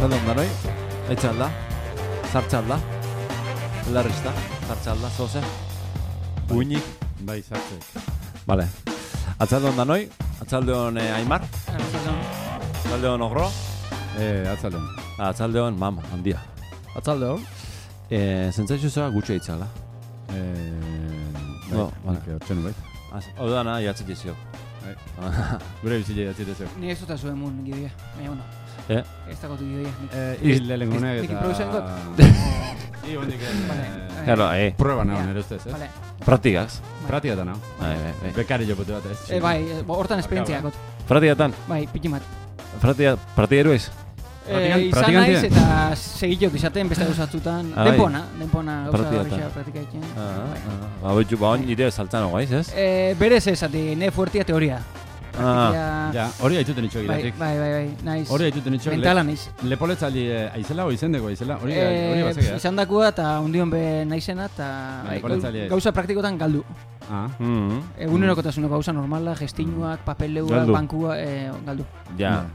Arratzalde ondanoi, etxalda, zartxalda, belarrista, zartxalda, zoze, uinik. Bai, zartzek. Vale. Atzalde ondanoi, atzalde hon Aimar, atzalde hon Ogro, Atzalde hon. atzalde hon Mam, handia. Atzalde hon. Zentzaitzu zera gutxe eitzala. Bai, hortzen bai. Odana, jatzit izio. Gure bizile jatzit ezio. Ni ez dut zuen mun gidoia, baina bueno. Ez dago gidoia. Hil lengune Nik improvisatzen dut. I hondik Claro, prueba nago nire ustez, ez? Vale. Praktikaz. Pratikatan nago. Bai. Bekari jopote bat, ez? Bai, hortan esperientziakot. Praktikatan. Bai, piki bat. Praktika eruiz? Izan naiz eta segitok izaten beste gauzatzutan. Denpona gauza horrexea praktikatzen. Ba, hon nire saltzan hogaiz, ez? Berez ez, ne fuertia teoria. Ja, hori haituten itxo gidatik. Bai, naiz. Hori haituten itxo. Mentala naiz. Lepoletzaldi aizela o izendeko aizela. Hori bazea. Izan dakua eta undion be naizena eta gauza praktikotan galdu. Egunerokotasuneko gauza normala, gestinuak, papeleuak, bankua, galdu. Ja.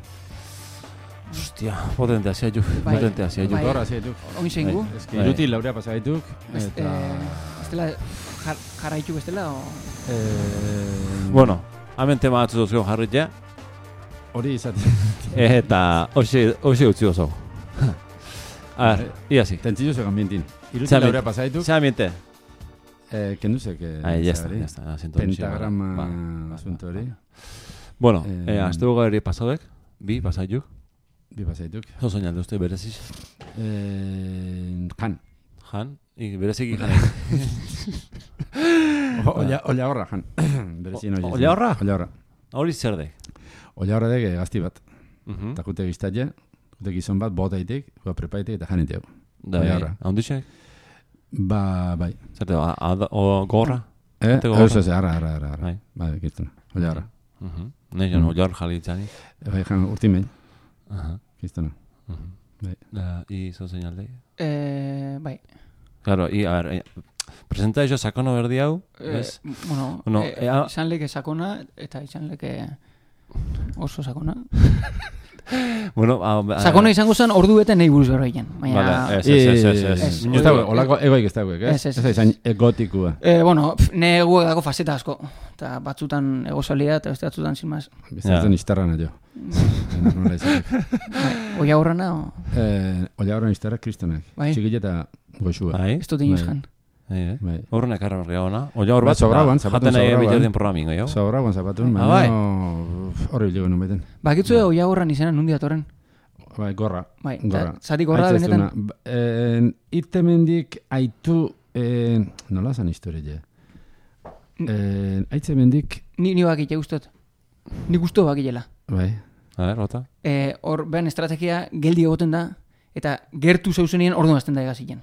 Hostia, potente hasia juk. Potente hasia juk. Gorra hasia juk. Oin zeingu. Eski iruti laurea pasagaituk. Estela jarraitu bestela o... Bueno, hemen tema batzu duzio jarritea. Hori izaten. Eta hoxe utzi oso. A ver, iasi. Tentzillo zegoen ambientin. Iruti laurea pasagaituk. Ze ambiente? Kenduzek. Ya está. Pentagrama asunto hori. Bueno, azte buga eri pasadek. Bi pasaituk. Bi pasaituk. Zo soñalde uste bereziz? Jan. Jan? Bereziki janek. Olla horra, Jan. Olla horra? Olla horra. Hori zer dek? Olla horra dek gazti bat. Eta kute giztatze, kute gizon bat, botaitik, prepaitik eta janiteu. Olla horra. Ahondixek? Bai. Zerte, gorra? Ez, arra. Bai, kirtuna. Olla horra. Nei, jan olla horra jalitzani. Bai, Jan, urtimei. Kirtuna. I zo señalde? Bai. Claro, a ver, presenta ello sakono berdi hau, ez? Bueno, izan leke sakona eta izan leke oso sakona. Bueno, sakona izango zen ordu bete nahi buruz berroiken. Vale, ez. Olako egoik ez dagoek, ez? Ez izan gotikua. Bueno, ne eguek dago faceta asko. Eta batzutan egozalia eta beste batzutan sin más. Bizatzen istarrana jo. Oia horrena? Oia horrena istarra kristonak. Txikile eta goxua. Ez dut inoz jan. Horrena ekarra berria ona. Oia hor bat, jaten nahi bilerdien programingo, jo? Sobrauan zapatun, horri bilego nubeten. Bakitzu oia horren izena nundi atorren? Bai, gorra. Zati gorra benetan? Irtemendik aitu, nola zan historie? Aitze mendik... Ni bakite guztot. Ni guztu bakilela. Bai. A ver, rota. Hor, behan estrategia geldi egoten da, eta gertu zauzenien orduan azten da egazien.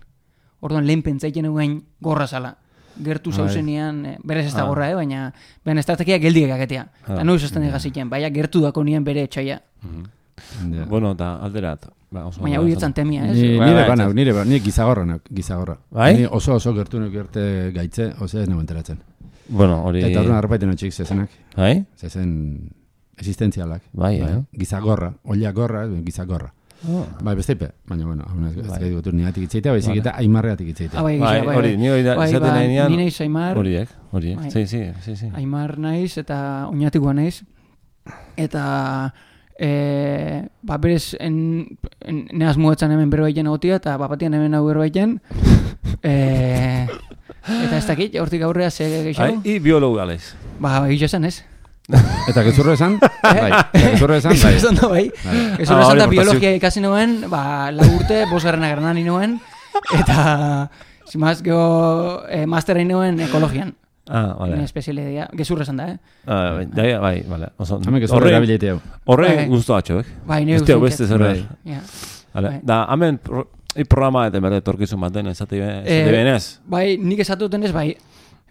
Orduan lehen pentsaiten egin gorra zala. Gertu zauzenean, berez ez da gorra, baina behan estrategia geldi egaketea. Eta noiz azten egazien, baina gertu dako nien bere etxaia. Bueno, eta alderat. Baina hori etzan temia, ez? Nire gizagorra. Bai? Oso gertu nekerte gaitze, oso ez nago enteratzen. Bueno, hori... Eta orduan arpaiten atxik zezenak. Bai? Zezen existentzialak. Bai, Gizagorra, olia gorra, gizagorra. Bai, besteipe, baina, bueno, ez gai dugu niatik itzeitea, baizik eta Aimarreatik itzeitea. Bai, hori, izaten nahi nian... Ni naiz Aimar. Horiek, sí. Aimar naiz eta oinatikoa naiz. Eta... berez neaz muetzen hemen berbaiten egotia eta bapatian hemen hau berbaiten eta ez dakit, hortik aurrea ze gehiago? Biologu galez. Egitxo esan ez. Eta gezurro esan? Gezurro esan da, bai. Gezurro esan da biologia ikasi nuen, lau urte, 5. gradan nuen, eta zimaz geho masterra nuen ekologian. Vale. Espezialidea, gezurra esan da, Bai, vale. Hame gezurra erabileite hau. Horre guztu atxoek. Bai, nire guztu. Beste zerre. Da, hamen programa eta berde torkizun baten ezate benez. Bai, nik esatu duten ez, bai.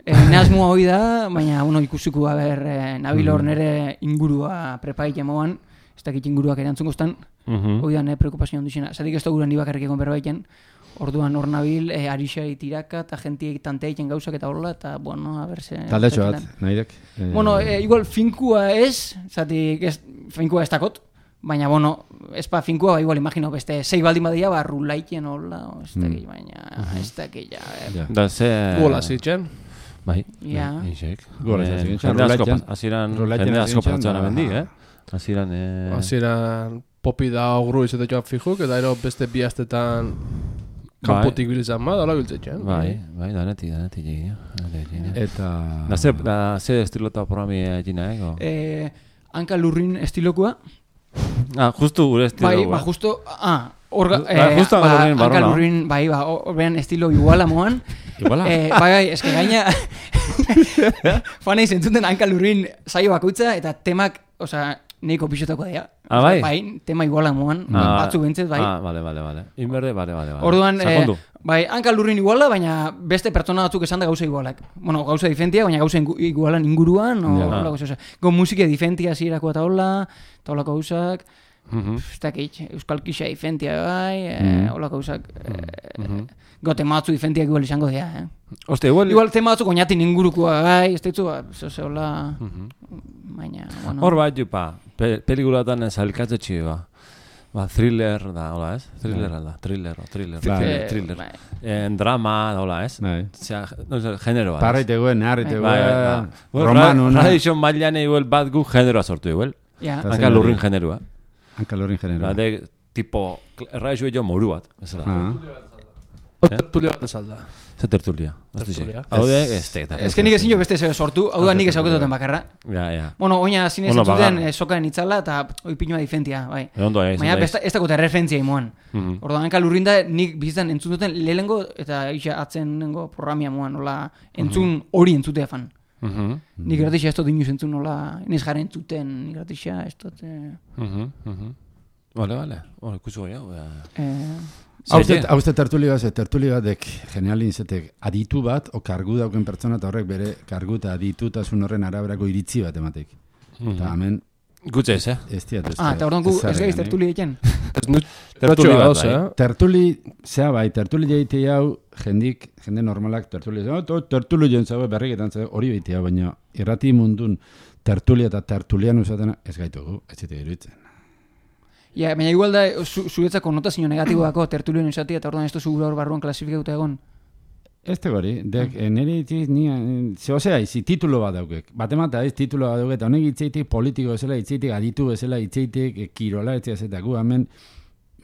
Nehazmua hoi da, baina ikusiko nabil hor nire ingurua prepaik emoan, ez dakit inguruak erantzun guztan, hoi da nire preokupazio ondizena. Zatik ez da gure nibakarrik egon berbaiken, orduan hor nabil, arixai tiraka, eta jentiek tanteaiken gauzak eta horrela, eta, bueno, a berse... Taldetxo bat, nahi dek? Bueno, igual finkua ez, zatik finkua ez dakot, Baina, bueno, espa finkua, igual imagino, beste 6 baldin badia, rulaiten hola, ez dakit, baina, ez dakit, Da, ze... Gola zitzen. Bai, Ja. isek. Gola zitzen. Jende asko pasatzen amendi, Hasieran... Hasieran popi da ogru izate joan fijuk, eta ero beste bi astetan kanpotik bilizan ma, dala biltzetzen. Bai, danetik egin. Eta... Da, ze estilota programi egina, Hanka lurrin estilokua. Justu gure estilo. Bai, justo... justo hanka lurrin, bai, horrean estilo iguala moan. Iguala? Bai, eske gaina... Fanei zentzuten hanka lurrin saio bakoitza, eta temak, osea, neiko pixotako dira. Bai? Bai, tema iguala moan, batzu bentzet, bai. Vale. Inberde, vale. Orduan, bai, hanka lurrin iguala, baina beste pertsona batzuk esan da gauza igualak. Bueno, gauza diferentia, baina gauza igualan inguruan, hola gauza. Go musike diferentia zirako eta hola gauzak. Ez dakit, euskal kixa diferentia bai, hola gauzak. Go tema batzu diferentiak igual izango dira, Oste, igual tema batzuk oinatin ingurukoa bai, ez ditzu, hola... Baina, bueno... Hor bat, jupa, pelikulatan zailkatze txiba. Thriller da, hola, ez? Thriller. Drama, hola, ez? Genero bat. Parraiteguen, harriteguen, romanu, no? Tradizion mailan igual bat gu generoa sortu igual. Hanka lurrin generoa. Bade, tipo, erraizu jo moru bat. Tertulia bat ezalda. Zer tertulia? Hau de, ez que nik ezin jo beste sortu, hau da nik ezauketoten bakarra. Ja. Bueno, oina zinez entzuten sokaen itzala eta oipinua diferentia, bai. Baina ez dagoeta referentzia imoan. Orduan, hanka lurrin da nik bizitzen entzuten lehenengo eta isa atzenengo programia moan, hola, entzun hori entzutea fan. Nik gratixa ez dut inuz entzun, hola, inez jaren entzuten, nik gratixa ez dut... Vale, ikusu goi hau. Hau tertuli batek genialin zetek aditu bat, o kargu dauken pertsona eta horrek bere kargu eta aditutasun horren araberako iritzi bat ematek. Eta hemen... Gutxe ez, Ez diat. Eta orduan gu ez gaiz tertuli egiten? Tertuli bat, bai. Tertuli, zea bai, tertuli jaite hau jende normalak tertuli. Tertuli joan zabe berriketan zabe hori behitea, baina irrati mundun tertulia eta tertulian usatena ez gaitugu, ez zite iruditzen. Ja, baina igual da, zuretzako notazio negatiboako tertulioen izatea, eta orduan ez duzu gure hor barruan klasifikatuta egon? Ez tegori, nire itziz, zehosea, izi titulo bat daukek. Batemata ez titulo bat daukek, eta honek itzeitik politiko ezela, itzeitik aditu ezela, itzeitik kirola, etziaz ku hemen,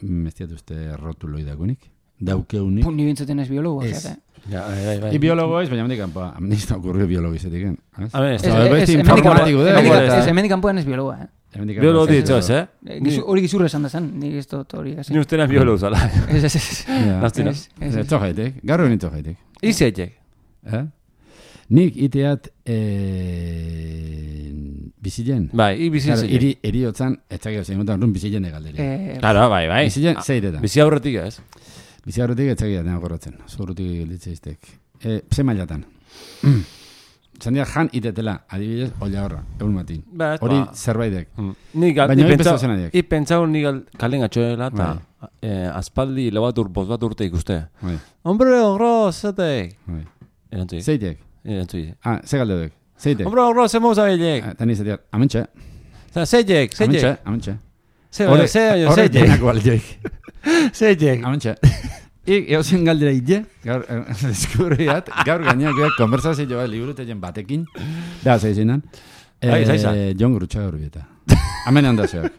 ez diat uste rotuloi dakunik, daukeunik. Ni bintzaten ez biologo, ez? I biologo ez, baina hemendik kanpoa, nizta okurrio biologo izetik, ez hemendik kanpoan ez biologoa, Biologo ditzo ez, Hori gizurra esan da zen, nik ez dut hori gazi. Ni ustenan biologo zala. Ez txojaitek, gaur hori txojaitek. Izeitek. Nik iteat bizilen. Bai, bizilen zeitek. Eri hotzan, etxak egozen, gontan bizilen egalderi. Claro, bai. Bizilen zeitetan. Bizi aurretik ez. Bizi aurretik etxak egoten agorratzen. Zurutik gilditzeiztek. Ze mailatan. Zandia jan itetela, adibidez, olla horra, egun matin. Hori zerbaitek. Baina pentsau nik kalen gatxoela eta aspaldi bost bat urte ikuste. Hombre, ogro, zetek. Zeitek? Ze galdedek? Zeitek? Hombre, ogro, ze moza bilek. Tani zetiak, amentxe. Zeitek. Amentxe. Zeitek. Amentxe. Eusen galdera ite, gaur eskurriat, gaur gainak konversazio bat liburutetzen batekin, da, zaizinan, Jon Gurutxa gaur bieta. Hemen handazeak.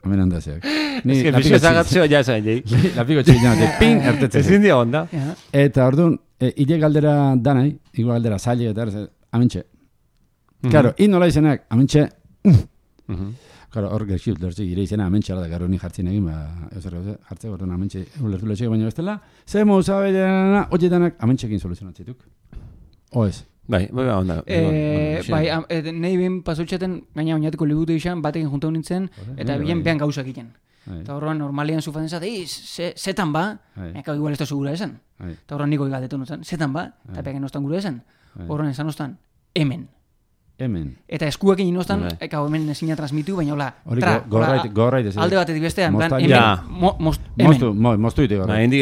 Ez que pixo zagatzeo ja zain, jeik. Lapiko txilinatek, pin, ertetzen. Ez india onda. Eta orduan, ide galdera danai, igual galdera zaila eta amentxe. Claro, nola izenak, amentxe. Claro, hor gertxut, ire izena amentxala da, garo ni jartzen egin, jartze gortan amentxe ulertu letxek, baina bestela, ze mouza bedena, hotxetanak amentxekin soluzionatzituk. Oez. Bai, onda. Nahi ben pasotxaten, gaina oinatiko libute izan, batekin junta nintzen, eta bien behan gauzak egiten. Eta horrean normalian zufaten zate, zetan ba, eka igual ez da segura esan. Eta horrean niko galdetu nutzen, zetan ba, eta behan ostan gure esan. Horrean esan ostan, hemen. hemen. Eta eskuekin inostan, hemen ezina transmitu, baina hola, gorrait ez. Alde batetik bestean, moztu ite gorrait. Indik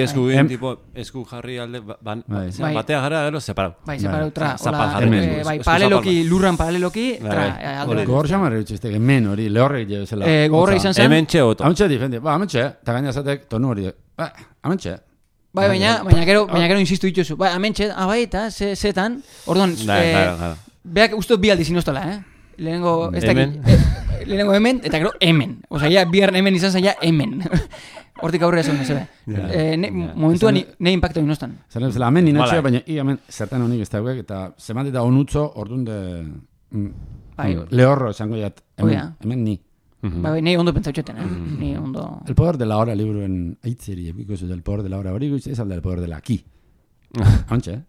esku jarri alde, batea gara, gero, separau. Bai, separau, paraleloki, lurran paraleloki, Gogor xamarra dutxizte, hemen hori, lehorrek jebezela. Gogorra izan zen. Hemen txe oto. Hemen txe difendi, hemen txe, eta gaina zatek tonu hori, hemen txe. Bai, baina gero insistu dituzu. Bai, amentxe, eta zetan, orduan, beak ustot bi aldiz inoztola, Lehenengo, hemen, eta gero hemen. Osa, ja, biharren hemen izan zen, ja, hemen. Hortik aurrera esan, zebe. Momentuan, ne impacto inoztan. Zeren, hemen ninatxea, baina hemen zertan honik ez dauek, eta zemat eta onutzo, orduan lehorro esango jat, hemen ni. Bai, nahi ondo pentsautxeten, ni ondo... El poder de la hora liburuen aitzeri, epiko el poder de la hora hori guiz, ez alda el poder de la aquí. Hantxe,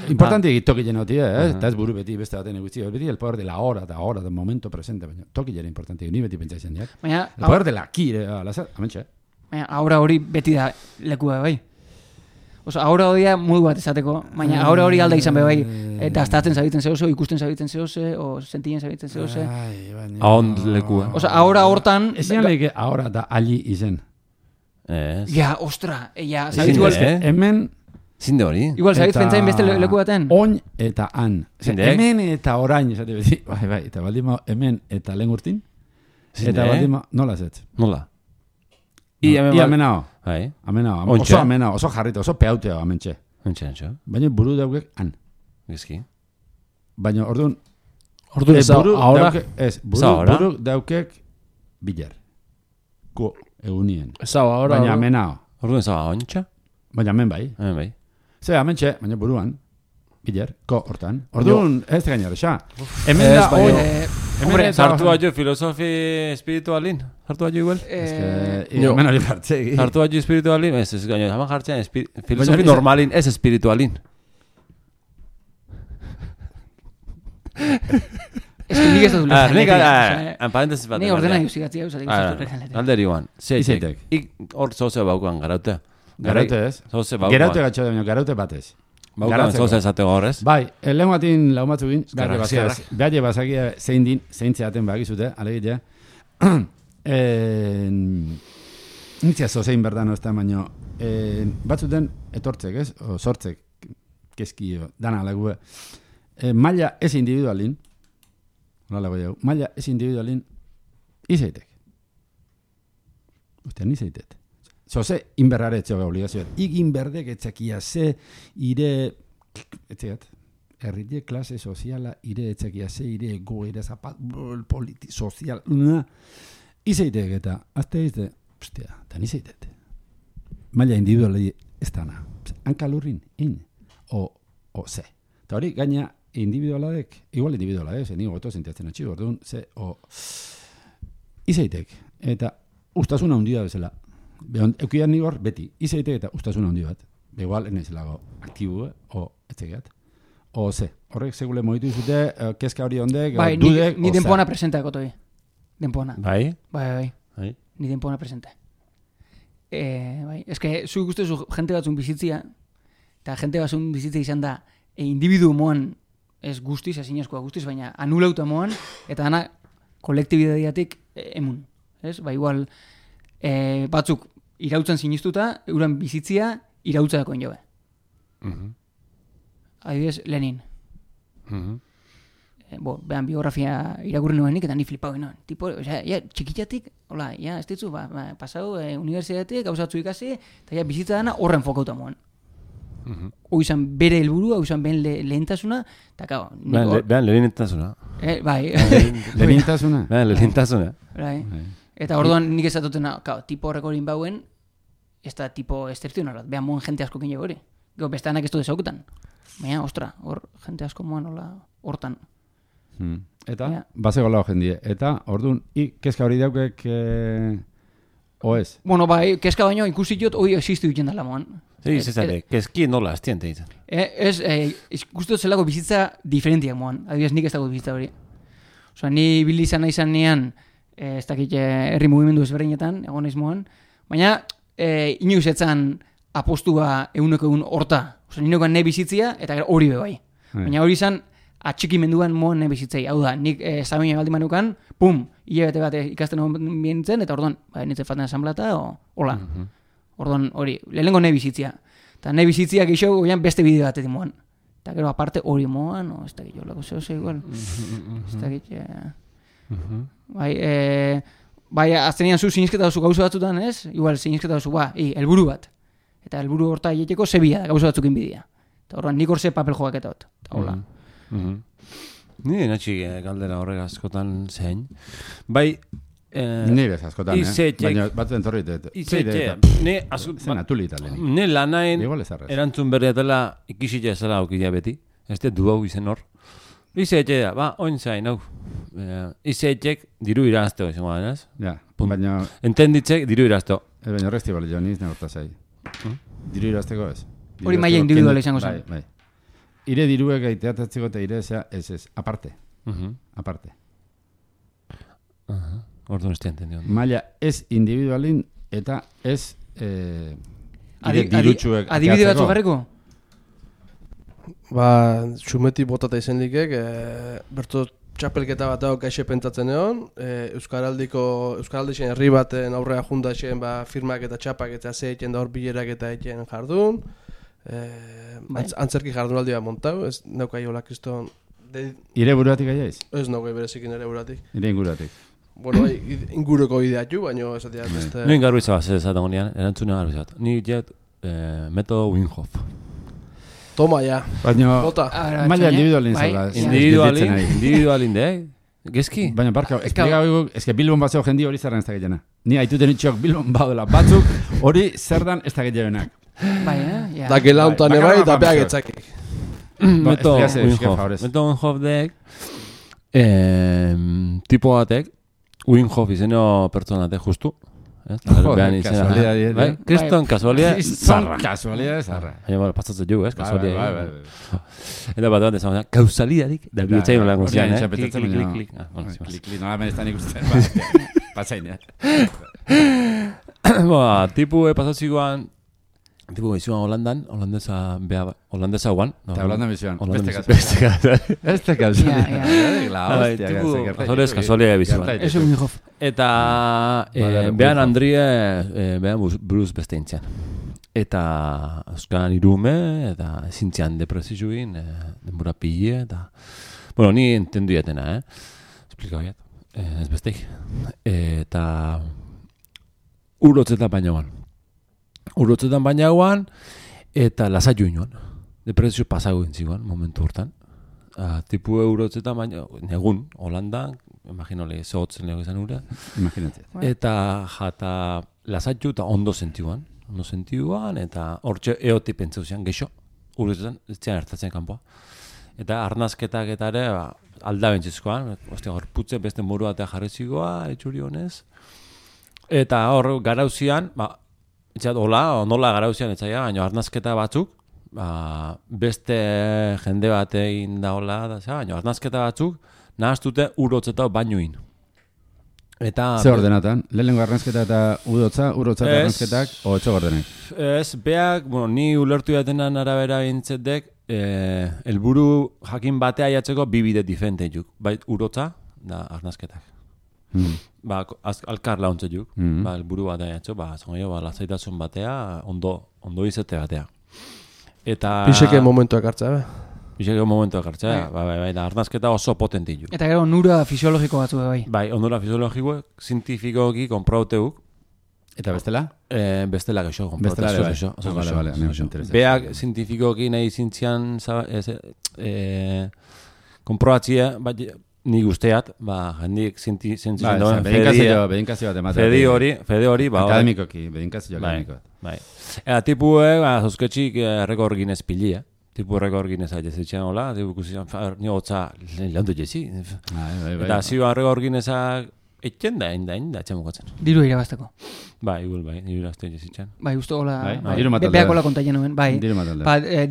Importante toki jenoti, eta ez buru beti beste baten eguzti, beti el poder de la hora, del momento presente, baina toki jera importante, ni beti pentsatzen diak. El poder de la aquí, hantxe. Baina, ahora hori beti da lekua bai. Oso, ahora hodia modu bat esateko, baina ahora hori alda izan bai, eta astatzen zabitzen zehose, ikusten zabitzen zehose, o sentien zabitzen zehose. Ahond lekua. Oso, ahora hortan... Ezean lehike ahora da alli izen. Ja, ostra, zabitzu hemen... Zinde hori. Igual, zabitz pentsain beste leku baten. Oin eta han. Hemen eta orain, esate beti. Bai, eta baldima hemen eta lehen urtin. Eta baldima, nola zetz? Nola? Ia amenao. Bai. Amenao. Oso amenao, oso jarrito, oso peauteo amentxe. Antxe. Baina buru daukek han. Gizki. Baina orduan... Orduan ez ahora? Buru daukek bilar. Ko egunien. Ez ahora. Baina amenao. Orduan ez ontsa? Baina amen bai. Amen bai. Ze, amentxe, baina buruan. Bilar, ko hortan. Orduan, ez gainera, xa. Hemen da, Hombre, sartu baino filosofi espiritualin. Sartu baino igual. Hemen hori jartzegi. Sartu baino espiritualin. Ez gaino, zaman jartzean filosofi normalin, ez espiritualin. Ez que nik ez dut lezen. Parentesis bat. Ni ordena justigatzia usatik. Alderi guan. Zeitek. Hor zoze baukan garaute. Garaute ez? Zoze baukan. Garaute gatxo da, garaute batez. Baukan zoze esate gorrez. Bai, lehen batin laumatzu gin, behar bazakia zein din, zein zeaten bagizute, alegitea. Nintzia zozein berdan ozta, baina batzuten etortzek, ez? O sortzek, kezkio, dana lague. Maila ez individualin, maila ez individualin, izaitek. Ostia, nizaitet. Zoze, inberrare etxoga obligazioa. Inberdek etxakia ze, ire, etxegat, errite klase soziala, ire etxakia ze, ire goera zapat, sozial, izaitek eta, azte izte, ostia, eta nizaitet. Maila individuali ez dana. Hankalurrin, o ze. Eta hori, gaina, individualadek, igual individualadek, zen nigo goto sentiatzen atxigo, orduan, ze, izaitek. Eta, ustasuna hundia bezala. Eukidan nigor, beti, izaitek eta ustasuna hundi bat. Igual, enezelago, aktibu, o etxegat. O ze. Horrek segule moitu izute, kezka hori ondek, dudek, ni denpona presenta ekotoi. Denpona. Bai? Bai. Ni denpona presenta. Bai. Ez que, zu guztezu jente batzun bizitzia, eta jente batzun bizitzia izan da, individu moan, ez guztiz, ezin askoa guztiz, baina anulauta moan, eta dana kolektibidadiatik emun. Ez? Ba, igual, batzuk irautzen sinistuta, euren bizitzia irautza dakoen jobe. Adibidez, Lenin. Behan biografia irakurri nuenik, eta ni flipau ginoen. Tipo, txikitatik, hola, ez ditzu, pasau universitatetik, gauzatzu ikasi, eta bizitza dana horren fokauta moan. Oizan bere helburua, oizan ben lehentasuna, eta kao... Behan lehentasuna. Bai. Lehentasuna? Behan lehentasuna. Bai. Eta orduan nik ezatutena, tipo horreko horin bauen, ez da tipo excepcionalat, behan moen jente asko kine hori. Gau, bestanak ez du desaukutan. Baina, ostra, hor jente asko moan hortan. Eta, bazego lau jendie. Eta, orduan, kezka hori daukek, oez? Bueno, bai, kezka baino ikusi jot, hoi existu ditzen dala moan. Kezki nola, estiente ditzen. Ez, ikustu zelako bizitza diferentiak moan. Adibidez, nik ez dago bizitza hori. Osa, ni bilizan nahi nean, ez dakit herri mugimendu ezberdinetan, egon ez moan, baina inoiz etzan apostua eguneko egun horta. Osa, ninokan nahi bizitzia, eta hori bebai. Baina hori izan atxikimenduan moan bizitzei. Hau da, nik zamina baldin manukan, pum, hilabete bat ikasten hon bientzen, eta orduan, nintzen faltan asamblata, hola. Orduan, hori, lehenengo nahi bizitzia. Eta nahi bizitziak iso, goian beste bideo bat edin moan. Eta gero, aparte, hori moan, ez da gito, lako zehose, igual. Ez da gito, bai, aztenean zu sinizketa duzu gauza batzutan, ez? Igual, sinizketa duzu, helburu bat. Eta helburu horta hieteko zebia da, gauza batzukin bidia. Eta horrean, nik horze papel joaketot. Eta hola. Ni natxi galdera horrek askotan zein. Bai, nire askotan, baina bat entorrit. Zen atuli italen. Ne lanain erantzun berriatela ikisitza ezala aukidea beti. Ez du hau izen hor. Izetxe da, oin zain, hau. Izetxek diru irazteo izango da, ez? Ja, baina... Entenditzek diru irazteo. Baina horrezti bali jo, niz negorta zai. Diru irazteko ez? Hori maia individuala izango zen. Bai. Ire diruek gaiteatatzeko eta ire ez, aparte. Aparte. Orduan ez entendion. Maia ez individualin eta ez dirutxuek. Adibide batzu garriko? Xumeti botata izan likek, bertu txapelketa bat dago kaixe pentatzen egon, Euskaraldixen herri baten aurrea jundaxen firmak eta txapak eta zeiten da hor bilerak eta eken jardun, antzerki jardunaldi bat montau, ez naukai hola kriston... Ire buruatik aiaiz? Ez naukai berezikin ere buratik. Ire inguratik. Bueno, inguruko ideatu, baina ez atia beste... Nuen garru izabaz, ez atago nian, erantzuna garru izabaz. Ni jet metodo Wim Hof. Toma, ja. Baina, maila individualin zela. Individualin, Gezki? Baina, barka, eske Bilbon bat zeo jendi hori zerran ez da gehiena. Ni haituten itxok Bilbon baudela batzuk, hori zerdan ez da gehienak. Bai, da gela untan ebai, da beha getzakik. Meto Wim Hof dek, tipo batek, Wim Hof izeno pertsonatek justu. Joder, kasualidad. Kriston, kasualidad zarra. Kasualidad zarra. Baina, pasatzen jugu, kasualidad. Eta bat bat ezan, kausalidadik, da biotzaino lan guztian, Klik. Klik, nola menestan ikusten. Patzain, Tipu pasatzikoan, tipo izuan holandesa guan. Eta holanda bizuan. Este kasualidad. Kasualidad bizuan. Eso Wim Hof. Eta behan Andrie, behan Bruce beste intzian. Eta euskaran irume, eta zintzian depresizuin, denbora pille, eta... Bueno, ni entendu jatena, Esplika horiat, ez besteik. Eta... Urotzetan baina guan, eta lasaiu inoan. Depresizu pasago intziguan, momentu hortan. Tipu urotzetan baina, negun, Holandan, imaginole, zehotzen lego izan ura. Imaginatzea. Eta jata lasaiu eta ondo sentiguan, eta hortxe eoti pentseu zian, geixo, urotzetan, ez zian hartatzen kanpoa. Eta arnazketak eta ere, aldabentzizkoan, gorputze beste moru batea jarrezikoa, etxuri honez. Eta hor, garauzian, nola garauzian etzaia, baina arnazketa batzuk, beste jende bat egin da hola, baina arnazketa batzuk, nahaztute urotzeta bainuin. Ze ordenatan? Lehenengo arnazketa eta urotza eta arnazketak, o etxo ordenek? Ez, beak, ni ulertu jatenan arabera bintzetek, helburu jakin batea jatzeko bibide diferente juk. Bai, urotza da arnazketak. Alkar launtze juk. Helburu batea jatzo, lasaitasun batea, ondo izate batea. Pixeke momentuak hartza, Bizeko momentuak hartzea, da arnazketa oso potenti ju. Eta gero onura fisiologiko batzu, bai. Bai, onura fisiologikoek, zientifikoki konprauteuk. Eta bestela? Bestela geixo, konprauteuk. Vale, beak zientifikoki nahi zintzian konprobatzia, nik usteat, jendik zientzen duen fede hori, akademikoki, bedinkazio akademikoak. Bai. Eta tipue, zozketxik errekor ginez pilia. Tipu errekor ginez aizezitxean hola, tipu ikusian, ni hotza lehantu jezi. Eta ziba errekor ginezak etxen da, etxemukatzen. Diru irabazteko. Bai, diru irabazte jezitxean. Bai, uste hola, beak hola kontaien nuen, bai.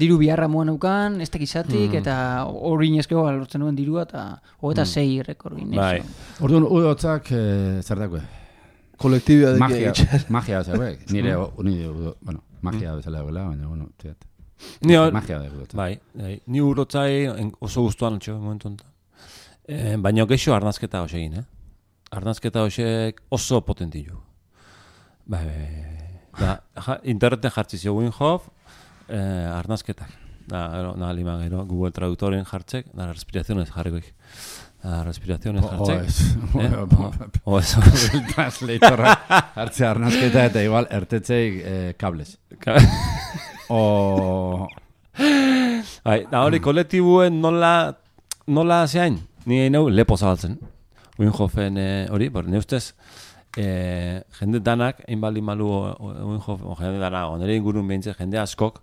Diru biharra moan eukan, ez tekizatik, eta hori inezkeo lortzen nuen dirua, eta hogeta 6 errekor ginez. Bai. Orduan, udotzak zertakue? Kolektibia magia bezala, nire, magia bezala, baina, bueno, txeat. Magia da guretzat. Bai. Ni urotzai oso gustuan atxo momentu honetan. Baina geixo arnazketa hoxe egin, Arnazketa hoxe oso potentillo. Bai. Interneten jartzi zio Wim Hof, arnazketak. Da lima gero, Google Traductoren jartzek, da respiraciones jarrikoik. Respiraciones jartzek. Eso. Translatorra hartzea arnazketa eta igual ertetzeik kables. Bai, da hori kolektibuen nola zeain, ni neu lepo zabaltzen. Wim Hofen hori, ne ustez, jende danak, einbaldi malu Wim Hof, jende danak, onere ingurun behintzen, jende askok,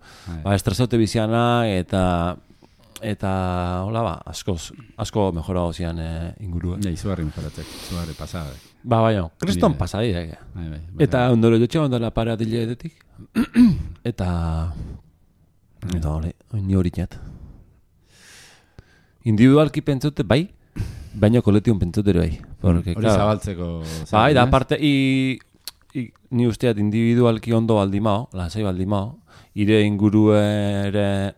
estresaute biziana eta hola asko mejora zian ingurua. Ja, izugarri mejoratzek, izugarri pasada. Baina, kriston pasadi. Eta ondoro jotxe ondala pare adileetik, eta hori, ni hori net. Individualki pentsute bai, baina kolektibun pentsute bai. Hori zabaltzeko. Bai, da aparte, ni usteat individualki ondo baldimao, lasai baldimao, ire inguruen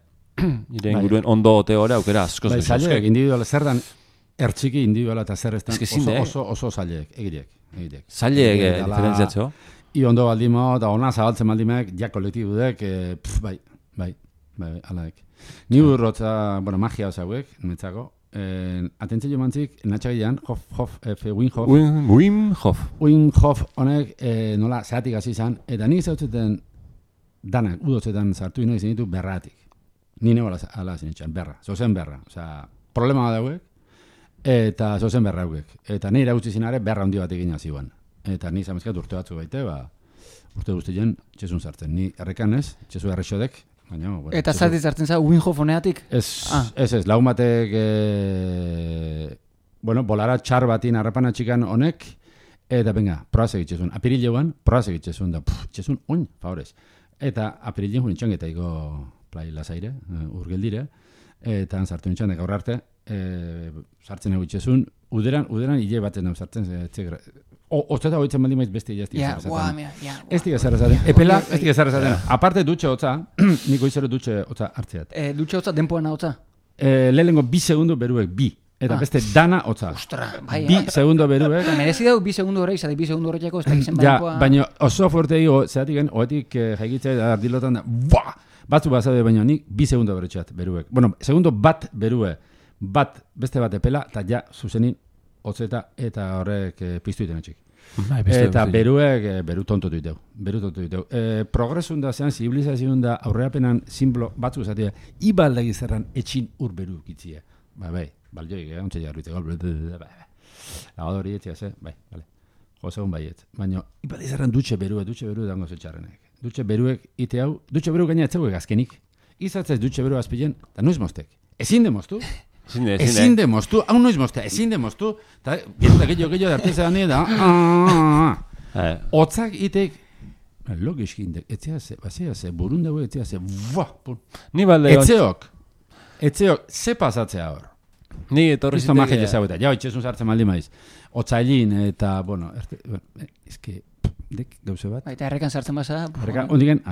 ondo ote hori aukera askoz. Bai, zaileek, individuala zer dan, ertxiki individuala eta zer estan oso zaileek, egitek. Zaileek diferentziatzo? I ondo baldimao, eta ona zabaltzen baldimeak, ja kolektibudek, bai, alaek. Ni urrotza, magia osauek, netzako, atentzio mantzik, natxagilean, Wim Hof honek nola zehatik hasi izan, eta nik zautzeten danak, udotzetan sartu ino izan ditu berratik. Ni nebo ala zinitxan, berra, zozen berra. Osea, problema dauek, eta zozen berra hauek. Eta nire gutxi zinare berra handi bat egin hasi guan. Eta ni zamezkat urte batzu baite, urte guztien txesun sartzen. Ni errekan ez, txesu errexodek, baina... Eta zati zartzen za, Wim Hof honeatik? Ez, lagun batek, bolara txar batin harrapana txikan honek, eta venga, proaz egitxezun. Apirilean, proaz egitxezun, da, txezun oin, favorez. Eta apirilean junitxan eta iko plai lasaire, urgeldire, eta sartu nintzen, gaur arte, sartzen egitxezun, uderan hile batzen hau sartzen, Ozteta hoitzen baldin maiz beste jaztik ezarezaten. Ez dik ezarezaten. Epela, ez dik ezarezaten. Aparte dutxe hotza, niko izero dutxe hotza hartzeat. Dutxe hotza, denpoena hotza? Lehenengo 2 segundo beruek, 2. Eta beste dana hotza. Ostra, bai. 2 segundo beruek. Merezi dago 2 segundo horreik, zati 2 segundo horreikako, ez da izen baina... Ja, baina oso fuerte ego, zeatik oetik jaikitzea ardilotan da, batzu bazade baina nik 2 segundo beretxeat beruek. Bueno, segundo bat berue, beste bat epela, eta ja, zuzenin, hotzeta eta horrek piztu iten etxik. Eta beru tontotu diteu. Progresun da zean, zibilizazioan da aurreapenan zimblo batzu zatea, ibaldegi zerran etxin ur beru kitzia. Bai, balioik, ontsa jarruite, lagadori etxia ze, bai. Josegun baiet. Baina, ibaldegi zerran dutxe beru dango zetxarrenek. Dutxe beruek ite hau, dutxe beru gaina etzeuek azkenik. Izatzez dutxe beru azpilen, eta noiz moztek. Ezin demoztu. Ezin demoztu, hau noiz moztea, ezin demoztu, eta gehiago darteza gane da, otzak itek, logiski indek, etzea ze, burundago etzea ze, etzeok, ze pasatzea hor. Ni etorri zitek... Isto magia ezageta, jau, itxezun sartzen maldi maiz, otzailin eta, ezke, dek gauze bat. Eta errekan sartzen basa. Ondigen,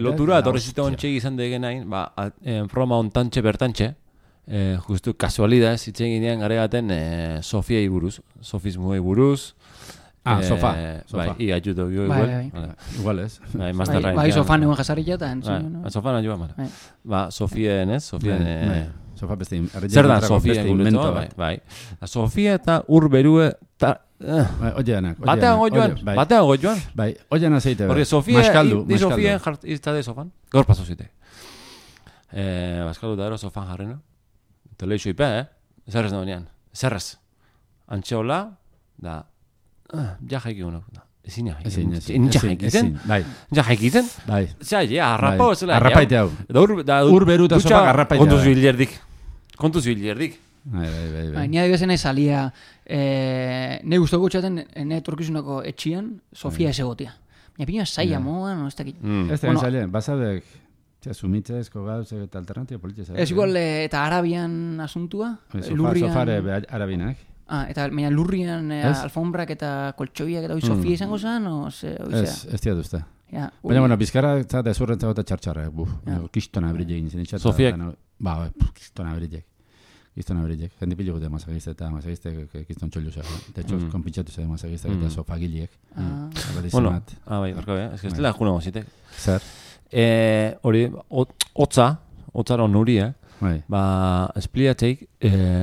lotura, etorri zitek ontxegi izan degen hain, Roma ontantxe bertantxe, justu kasualidad zitzen ginean garegaten Sofiei buruz, sofismoei buruz. Sofa. Bai, iatxuto bio igual. Igual ez. Bai, sofan egon jasarilla eta sofan anjoa mara. Sofien ez, Sofien... Sofa beste... Zer da Sofien gureto, bai. Sofia eta ur berue... Batean gojoan. Bai, oian azeite. Porque Sofia, di Sofia izta de sofan. Gaur paso zite. Baskaldu da ero sofan jarrena. Teleixo ipe, zerrez nagoenean. Zerrez. Antxeola, da... Ja jaiki uno. Ezin jaikiten. Ja jaikiten. Zea, arrapa ozela. Arrapaite hau. Ur beru eta sopa arrapaite hau. Kontuz bilerdik. Bai. Ni adibesen ez alia, ne guztu gutxaten, ne torkizunako etxian, Sofia esegotia. Baina pina saia moan, ez dakit. Ez da saien, bazadek... Sumitzezko gauz eta alternatio politiza. Ez igual, eta Arabian asuntua? Sofare Arabinak. Eta lurrian alfombrak eta koltsoiak eta Sofia izango zen? Ez dira duzta. Ja, Baina, bueno, bizkarra eta ezurrentzako eta txartxarra, kistona brilek egin zen. Sofiek? Kistona brilek. Kistona brilek. Jendi pilo gute masagizte eta masagizte kiston txollu zego. De hecho, konpintxatu zego masagizte eta sofagiliek. Bueno, bai, barka, ez que ez dela juna gozitek. Zer? Hori, hotzara onuri, ba, espliatzeik,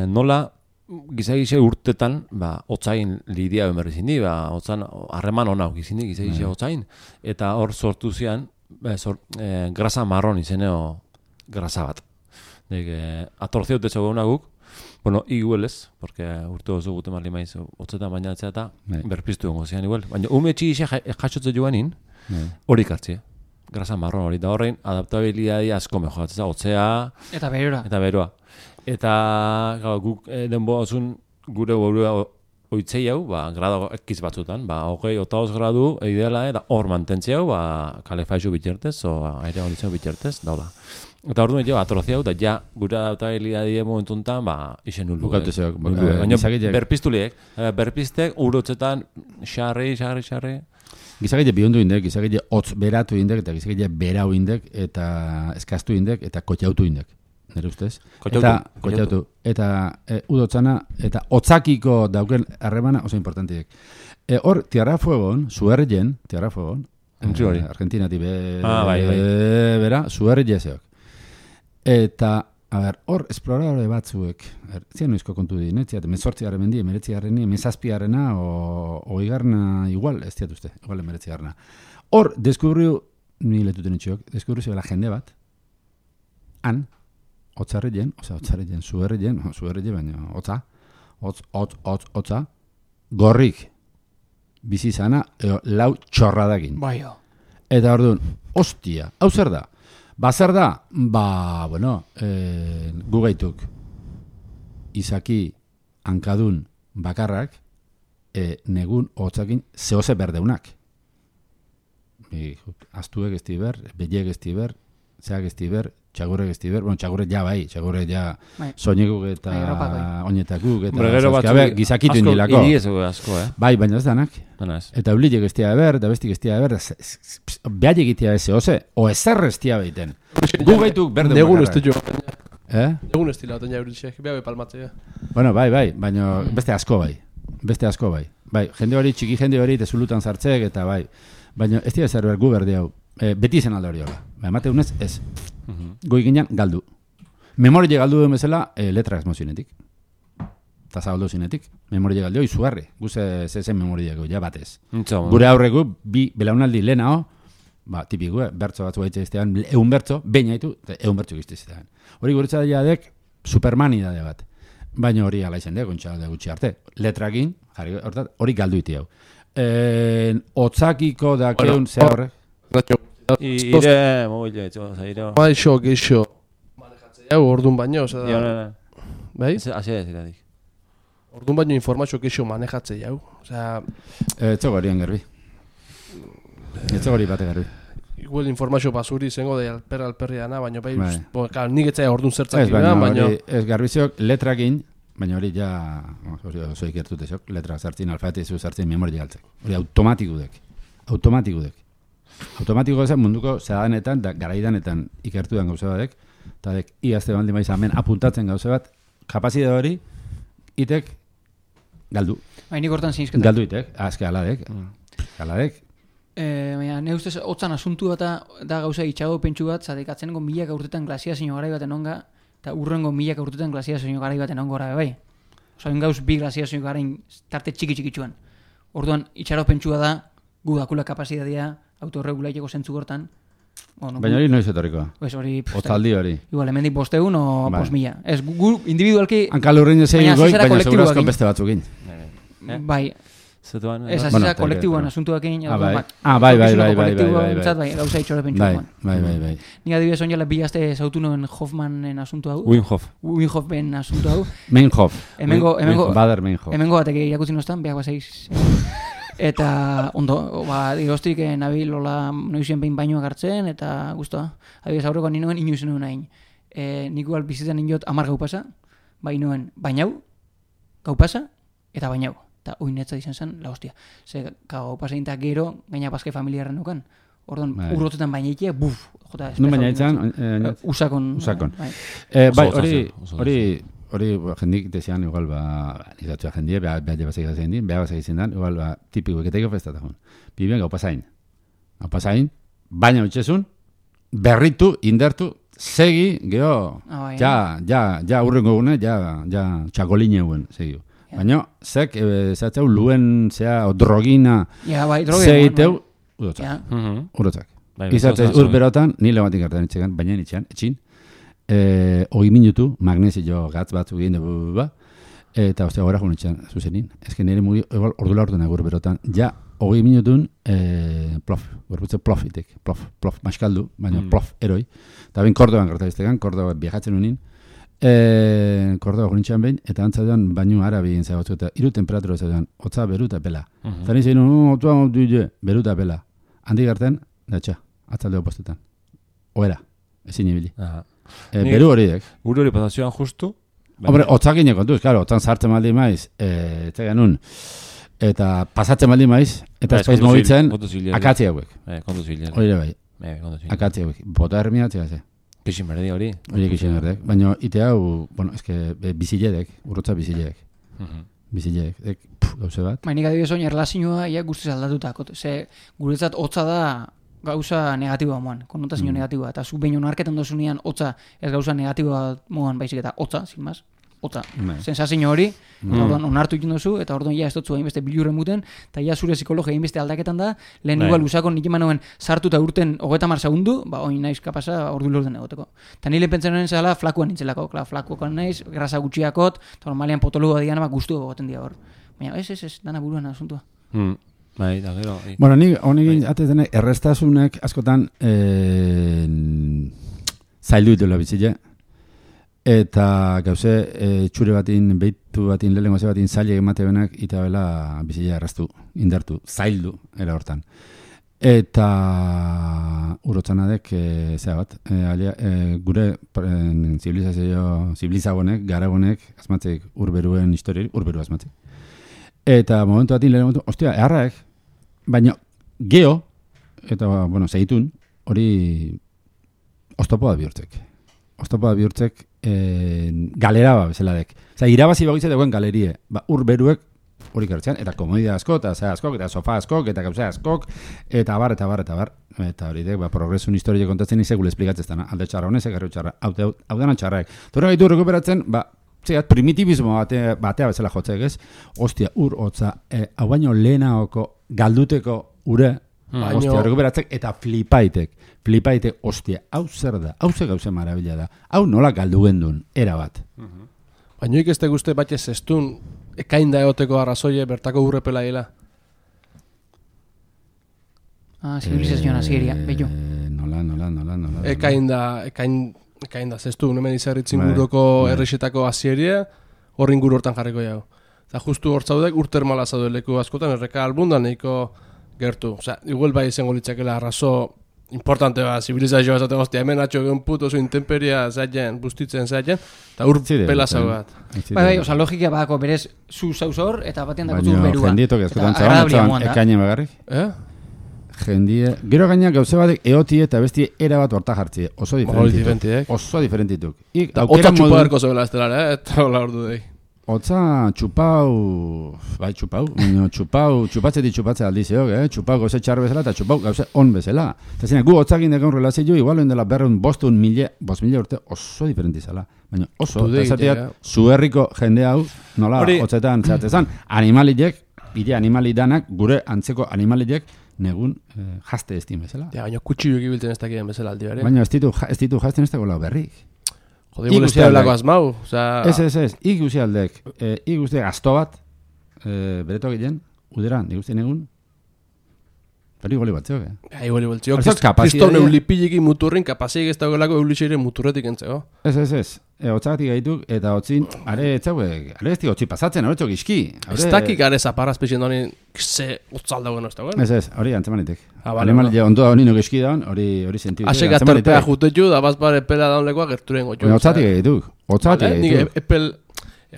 nola gizagize urtetan, ba, hotzain lidia berri zindi, ba, hotzan, harreman hona gizindi gizagize hotzain, eta hor sortu zian, grasa marron izeneo grasa bat. Atorziot de zegoena guk, bueno, iguelez, porque urte oso gute marli maiz, hotzetan baina etzea eta berpiztu gongo zian igual. Baina, ume txigixe jasotze joanin, hori kartzie. Grasa marron hori, da horrein adaptabilidadi asko mejoratzen, hotzea eta beroa. Eta guk denbo osun gure burua oitzei hau, ba, grado ekiz batzutan, ba, 28 gradu ideala, eta hor mantentzea hau, ba, kalefaizu bitxertez, o aire horitzen bitxertez, daula. Eta hor duen jo, atrozia hau, da ja, gure adaptabilidadi momentuntan, ba, isen nuldu. Baina berpiztuliek, berpiztek, urotzetan, xarri. Gizagile bihondu indek, gizagile hotz beratu indek, eta gizagile berau indek, eta eskaztu indek, eta kotxautu indek. Nere ustez? Kotxautu. Eta udotzana, eta hotzakiko dauken harremana oso importantiek. Hor, Tierra Fuegon, Suergen, Argentinati bera, Suerge zeok. Eta, hor, esploradore batzuek, zian noizko kontu di, netziat, 18 mendi, 19 17 oigarna igual, ez diat uste, igual 19. Hor, deskubriu, ni letuten itxok, deskubriu zebela jende bat, han, hotzarrilen, suerrilen, baina hotza, gorrik, bizi zana, lau txorradakin. Baio. Eta orduan, hostia, hau zer da? Zer da? Bueno, gu gaituk, izaki hankadun bakarrak, negun hotzakin zehose berdeunak. Aztuek ez diber, beliek ez diber, zeak ez diber, txagurrek ez diber, bueno, txagurrek ja bai, txagurrek ja soineguk eta oinetakuk, eta gizakitu indilako. Iri ez asko, Bai, baina ez danak. Eta eulilek ez tia eber, eta bestik ez tia eber, behar egitea ez zehose, o ezer ez tia behiten. Gu gaituk berde negun ez jo. Negun ez dila, oten jauritxek, behar palmatzea. Bueno, bai, baina beste asko bai. Bai, jende hori, txiki jende hori, tezulutan zartzek, eta bai. Baina ez dira zer behar gu berde hau. Beti zen alde hori hola. Emate unez, ez. Goi ginean, galdu. Memoria galdu duen bezala, letra ezmo zinetik. Eta zabaldu zinetik. Memoria galdu, izugarri. Guze zezen memoria gau, ja batez. Gure aurregu, bi belaunaldi lehenao, tipiko, bertso batzu gaitze iztean, egun bertso, baina haitu, egun bertso gizte iztean. Hori guretza dadek, Superman idade bat. Baina hori ala izan dek, ontsa gutxi arte. Letrakin, hori galdu iti hau. Otzakiko dakeun ze horrek. Ire, mobile, zairo. Geixo. Manejatzea, orduan baino, bai? Hasi da, orduan baino informazio geixo manejatzea, Etzo gorian garbi. Etzo gori bate garbi. Igual informazio basuri zengo da alperri dana, baina bai, nik etzea orduan zertzak baina... Ez garbiziok letrakin, baina hori ja, oso ikertutezok, letra zartzin, alfabetizu zartzin, memoria galtzek. Hori automatikudek. Automatiko zen munduko zehadanetan, garaidanetan ikertudan gauze batek, eta dek, iazte baldin baiz hemen apuntatzen gauze bat, kapazide hori, itek galdu. Nik hortan zinizketak. Galdu itek, azke aladek. Ne ustez, hotzan asuntu bat da gauza itxago pentsu bat, zadek atzenengo milaka urtetan glasiazio garai baten onga, eta urrengo milaka urtetan glasiazio garai baten ongora bai. Osa, gauz bi glasiazio garain tarte txiki-txikitsuan. Orduan, itxaro pentsua da, gu dakula kapazitatea, autorregulaiteko zentzu gortan. Baina hori noiz etorriko? Otzaldi hori. Igual, hemendik 500 o 5.000. Ez, gu individualki... Hankalurrin ez egin goi, baina segurazko beste batzukin. Bai. Ez azizak kolektiboan asuntuak egin. Bai. Gauza itxora pentsuan. Bai. Nik adibidez onjala bi gazte zautu noen Hoffmanen asuntu hau. Winhoffen asuntu hau. Meinhoff. Hemengo batek irakutzen oztan, behar bazaiz. Eta ondo, digostik nabil hola noizien behin bainoak hartzen, eta guztua. Adibidez aurreko ninoen inoizen nuen hain. Nik igual bizitzen ninot 10 gau pasa, bainoen bainau, gau pasa, eta bainau. Eta oinetza izan zen, la hostia. Ze gau pasa intak gero, gaina bazke familiarren nukan. Orduan, urrotetan bainaitea, buf, jota. No baina itzan, Usakon. Bai, hori jendik desean igual izatxoa jendie, behar basak izan dien, behar basak izan dan, igual tipiko eketeko festata joan. Biben gau pasain. Gau pasain, baina utxezun, berritu, indertu, segi, geho, ja urrengo gune, ja txakoline guen, segi. Baina, zek, zatzeu, luen, drogina, segiteu, urotzak. Izatzez, urberotan, nile batik hartan itxegan, baina itxean, etxin, 20 minutu, magnesio gatz batzu egin dugu, eta ostia gora joan itxean, zuzenin. Ez nire mugi, ordula orduan agur berotan, ja, 20 minutun, plof, gorputze plofitek, plof, maskaldu, baina plof, eroi. Eta ben Kordoban gertabiztegan, Kordoba viajatzen unin, Kordoba joan behin, eta antzaduan baino arabi egin zagotu, eta iru temperatura zagotuan, hotza beruta pela. Eta nizien, beruta pela. Handi garten, datxa, atzaldeo postetan. Oera, ezin ibili. Beru horiek. Gure hori pasazioan justu. Hombre, hotzakin kontuz, claro, hotzan sartzen maldi maiz, etzegan nun, eta pasatzen maldi maiz, eta espaiz mogitzen, akatzi hauek. Hori bai, akatzi hauek. Bota hermia atzea ze. Kixin berdi hori. Hori kixin berdek. Baina ite hau, bueno, eske biziledek, urrotza biziledek. Biziledek, gauze bat. Mainik adibidez oin erlazioa ia guztiz aldatutak. Ze guretzat hotza da gauza negatiboa moan, konotazio negatiboa. Eta zu behin onarketan dozunean hotza ez gauza negatiboa moan baizik eta hotza, sin más. Hotza, sensazio hori, orduan onartu egin duzu, eta orduan ja ez dutzu hainbeste bilurren muten, eta ja zure psikologia hainbeste aldaketan da, lehen igual usako nik emanoen sartu eta urten 30 segundu, oin naiz kapasa ordu lorten egoteko. Eta nire pentsen honen zela flakuan nintzelako, flakuan naiz, grasa gutxiakot, eta normalian potologoa dian gustu egoten dira hor. Baina ez, dana buruan asuntua. Bai, da gero. Bueno, nik honekin atezenek errestasunek askotan zaildu dela bizile. Eta gauze, txure batin, behitu batin, lehenko ze batin zaile emate benak, eta bela bizila erraztu, indartu, zaildu, era hortan. Eta urotzanadek, zera bat, gure zibilizagonek, garagonek, azmatzeik urberuen historiari, urberu azmatzeik. Eta momentu batin, lehen momentu, ostia, eharraek, baina geho, eta, bueno, segitun, hori oztopoa bihurtzek. Oztopoa bihurtzek galera bezeladek. Oza, irabazi bagoitze dagoen galerie. Urberuek hori gertzean, eta komodia asko, eta zea askok, eta sofa askok, eta gauza askok, eta bar. Eta hori dek, progresun historie kontatzen izegule esplikatzen alde txarra honezek, garru txarra, hau dena txarraek. Torra gaitu rekuperatzen, zeat, primitibismo batea bezala jotzek ez, ostia, hotza, hau baino lehenaoko galduteko ure, ostia, rekuperatzek, eta flipaitek, ostia, hau zer da, hau zer gauze marabila da, hau nola galdu gendun, era bat. Baina ikeste guzti batxe zestun, ekain da egoteko arrazoie bertako urrepela hila. Zibilizazioan azieria, bello. Nola. Ekain da zestun, hemen izarritzin guroko errexetako azieria, horrin guru hortan jarriko jau. Eta justu hortzaudek urtermala zaudeleko askotan, erreka albundan nahiko gertu. Osa, igual bai izango litzakela arrazo importante zibilizazioa esaten hostia, hemen atxo egon puto zu intemperia zaiten, bustitzen zaiten, eta pela zau bat. Bai, oza, logika badako berez zu zauz hor, eta batean dako zu berua. Baina jendietok ezkotan zaban, ekainen bagarrik. Jendie, gero gainak gauze batek eoti eta besti era bat horta jartzi, oso diferentituk. Oso diferentituk. Otza txupadarko zebela estelara, eta hola ordu dei. Otza txupau, txupatzetik txupatze aldizeok, txupau gauze txar bezala eta txupau gauze on bezala. Eta zina, gu otzakin dekon relazio, igualen dela berreun bostun mila urte oso diferentizala. Baina oso, eta zatiat, zuherriko jende hau, nola, otzetan zehatzezan, animaliek, bide animali danak, gure antzeko animaliek, negun jazte estin bezala. Ja, baina kutxiluk ibiltzen ez dakien bezala aldi bere. Baina ez ditu jazten ez dago lau berrik. Jode, molestea blako azmau. Ez, ikusi aldek. Ikusi gazto bat, bereto gilen, uderan, ikusi negun, pero iguali batzeok, iguali batzeok. Kriston eulipiliki muturrin, kapazik ez dagoelako eulixeire muturretik entzeko. Ez. Otzagatik gaituk, eta otzin, are ez dik otzi pasatzen, hori txok iski. Ez dakik are zaparra espezien da honi, ze otzaldagoen ez dagoen? Ez, hori antzemanitek. Animalia ondoa honi nok iski daun, hori sentiuk. Asek atorpea jutetu, da bazpare epela daun lekoa gerturen gotxu. Otzatik gaituk. Nik epel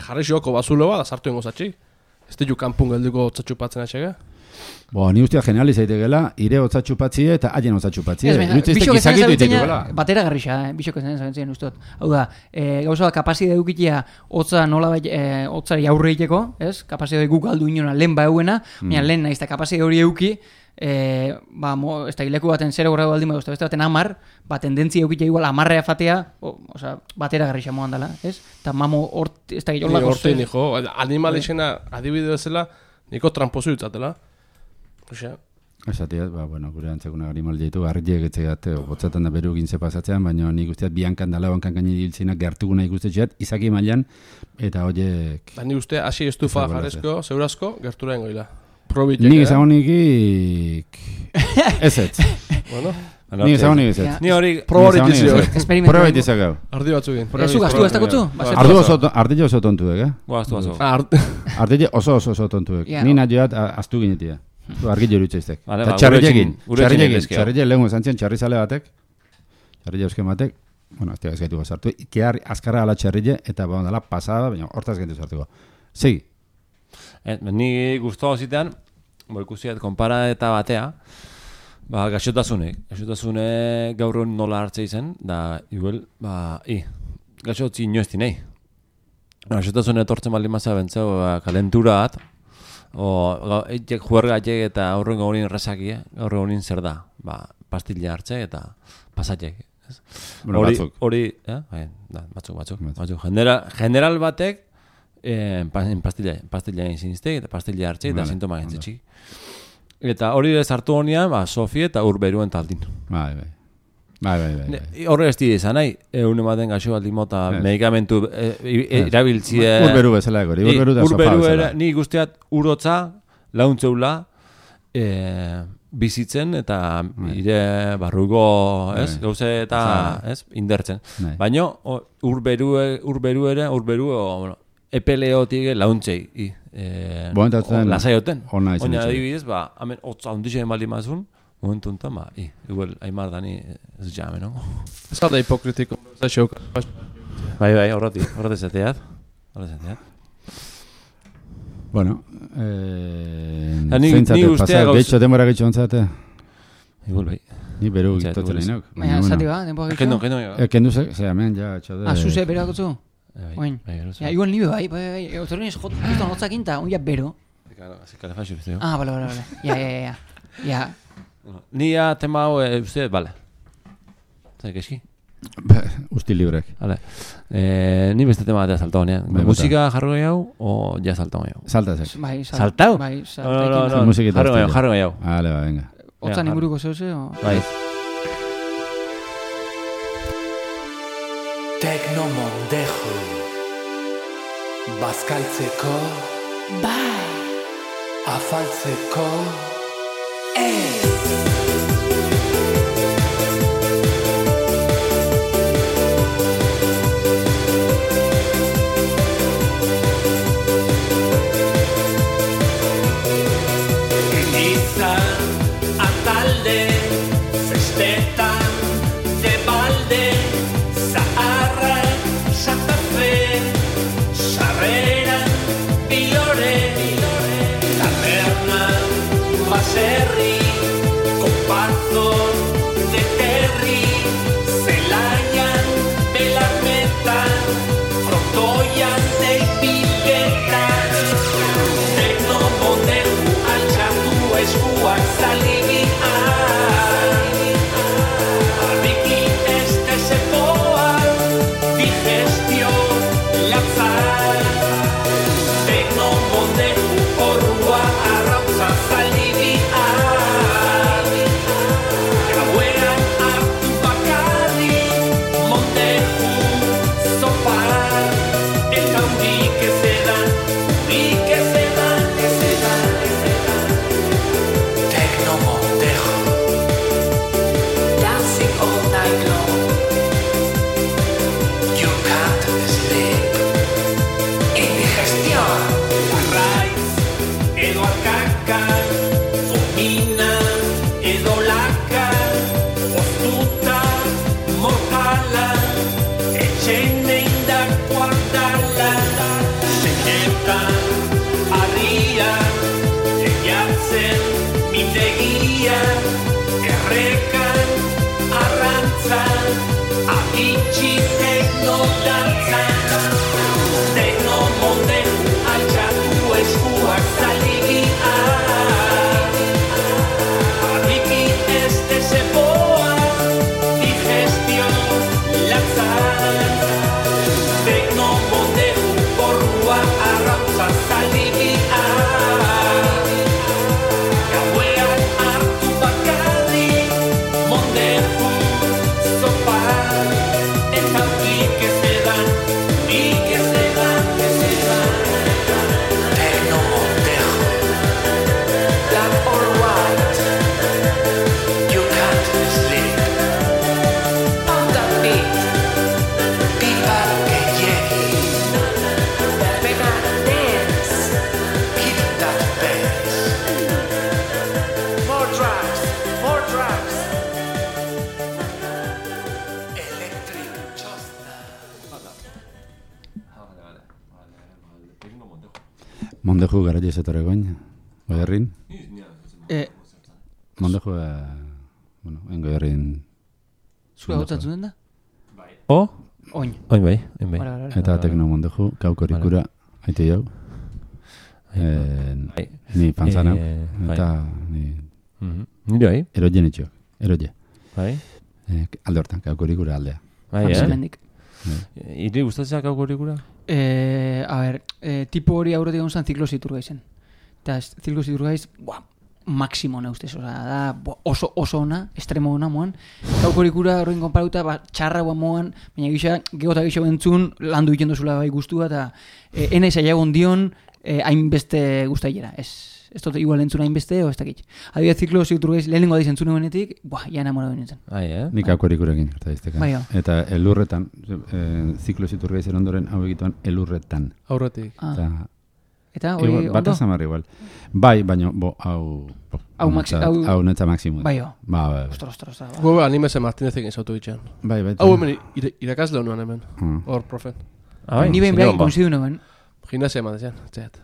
jarri xioko bazulo bat, azartu ingo zatxik. Ez ditu kanpun gelduko otzatxupatzen atxega. Ni usteak generaliz aitegela, ire hotzatxu patzie eta haien hotzatxu patzie. Bixok ezen zabiltzena, batera garrixa, bixok ezen zabiltzena ustot. Hau da, gauza da, kapazide dukitia hotza nola hotzari aurre egiteko, ez? Kapazide guk galdu inona lehen ba euena, baina lehen nahiz eta kapazide hori euki, ez da hileku baten 0 gradu baldin beste baten 10, tendentzia eukitea igual 10 fatea, batera garrixa moan dela, ez? Eta mamo hort, ez da gilolako hortein, hijo, animalixena adibideo zela, niko trampozu ditzatela. Osea. Esatiaz, gure antzekuna animal ditu, harriek etxegat, botzatan da beru gintze pasatzean, baina nik usteat biankan dala, bankan gaini diltzenak gertuguna ikustetxeat, izaki mailan, eta horiek... Nik uste, hasi estufa jarezko, zeurazko, gerturaen goila. Nik ezagunikik... Ez. Bueno... Nik ezagunik ez. Ni hori... Proba itizak gau. Ardi batzukin. Zugaztu ez dakutzu? Ardile oso tontuek, Guaztu. Ardile oso tontuek. Ni nadioat astu ginetia. Argile horutzeiztek. Eta txarrilekin lehun esantzien txarrizale batek, txarrile euskien batek, ez tiak ezgaitu gozartu, kear azkarra ala txarrile, eta dala pasada, baina hortaz gaitu zartuko. Segi. Ni guztua zitean, ikusiat, konpara eta batea, gaxotasunek gaur nola hartzea izen, da, igual, gaxotzi inoezti nahi. Gaxotasunek etortzen baldin mazea bentzeu, kalentura bat, eitek juergatek eta aurren gaurin resakia, aurren gaurin zer da, pastilla hartze eta pasatek. Hori, batzuk. General batek, pastilla inziniztek eta pastilla hartze eta sintoma gentzetxik. Eta hori ez hartu honean, Sofi eta Urberuen taldin. Bai. Horre ez dira izan nahi, egun ematen gaxo baldin mota medikamentu irabiltzie... Urberu bezala egori, urberu da sopa bezala. Ni guztiat urotza, launtzeula, bizitzen eta ire barruko, gauze eta indertzen. Baina urberu epeleotik launtzei, lasaioten. Oina adibidez, hemen hotza ondixen baldin mazun, momentu enten, igual, aimar dani ez jame, no? Ez da hipokritiko, ez da xeuk. Bai, horreti zateat. Bueno, ni ustea gauz... Geitxo, denbora geitxo ontzate? Igual, bai. Ni beru gitotzen nahinok. Baina, zati ba, denbora geitxo? Kendu ze, hemen, ja, txode... Zuze, berakotzu? Bai, igual nibe, bai, autorin ez justo notzakinta, un ja bero. Kalefazio, bizte, bale. Ja. Ni tema hau, uste, bale. Zai, keski? Usti librek. Ni beste tema batea saltau, nean. Musika jarro gehiago, o ja saltau gehiago? Salta zek. Saltau? Bai, No, jarro gehiago. Vale, venga. Otzan inguruko zeuze, o? Bai. Teknomondejo bazkaltzeko, bai, afaltzeko, Atalde, festetan, de balde, zaharra, Santa Fe, sarrera, bilore, taberna, baserri, comparto de terri, zelaian, belarmetan, frontoian, deipiketan, teknomonderu altxatu eskuak zalibian, Arriki este sepoa, digestio, latzar, teknomonderu orrua arrautza zalibian, gauean hartu bakar, Mondeju gara jesetore goin, goierrin. Mondeju, bueno, en goierrin. Zua gotzatzen den da? O? Oin. Oin bai. Eta tekno mondeju, kaukorikura, haite jau. Ni panzana, eta ni... Nire bai? Eroje nitxo, eroje. Bai? Alde hortan, kaukorikura aldea. Bai, Hemendik. Iri gustatzea kaukorikura? A ber, tipo hori aurretik egon zen ziklosi iturgaizen. Eta ziklosi iturgaiz, maximo na ustez, da oso ona, estremo ona moan. Kaukorikura horrein konparauta, txarra guan moan, baina gehota gixo bentzun, landu egiten duzula bai guztua, eta enaiz aiagon dion, hainbeste guztailera, ez dut igual entzuna hainbeste, o ez dakit. Adibidez ziklo ziturgeiz, lehenengo adiz entzune benetik, ja enamoratu nintzen. Nik kaukorikurekin, eta Bai, eta elurretan, ziklo ziturgeizen ondoren hau egituan elurretan. Aurretik. Eta hori ondo? Bata zamar igual. Bai, baina, hau netza maksimo. Bai, jo. Ba. Ostra. Gu animese Martinezekin zautu bitxean. Bai. Hau hemen irakasle honuan hemen. Hor, profen. Ni behin behar konsidu nuen. Gimnasia eman desean, txeat.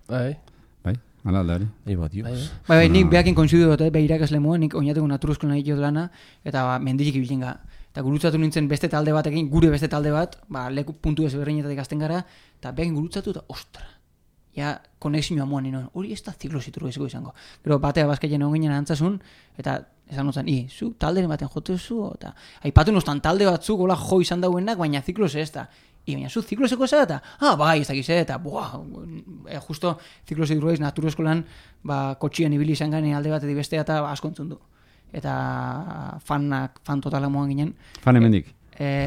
Bai, ala aldari. Bai, nik behakin konsidu dut, beha irakasle moa, nik oinateko naturuzko nahi jod lana, eta mendirik ibiltzen ga. Eta gurutzatu nintzen beste talde batekin, gure beste talde bat, leku puntu ezberdinetatik azten gara, eta behakin gurutzatu eta, ostra, ja, konexioa moan ninoen, hori ez da ziklo ziturgeziko izango. Gero batea bazkaien egon ginen antzasun, eta esan notzen, zu talderen baten jotezu, eta aipatu nostan talde batzuk, hola jo izan dauenak, baina ziklos ez da. Baina zu zikloseko ez da, bai, ez dakiz, eta justo ziklosi durgaiz naturoeskolan kotxien ibili izan gane alde batetik bestea eta asko entzun du. Eta fan totala moan ginen. Fan hemendik?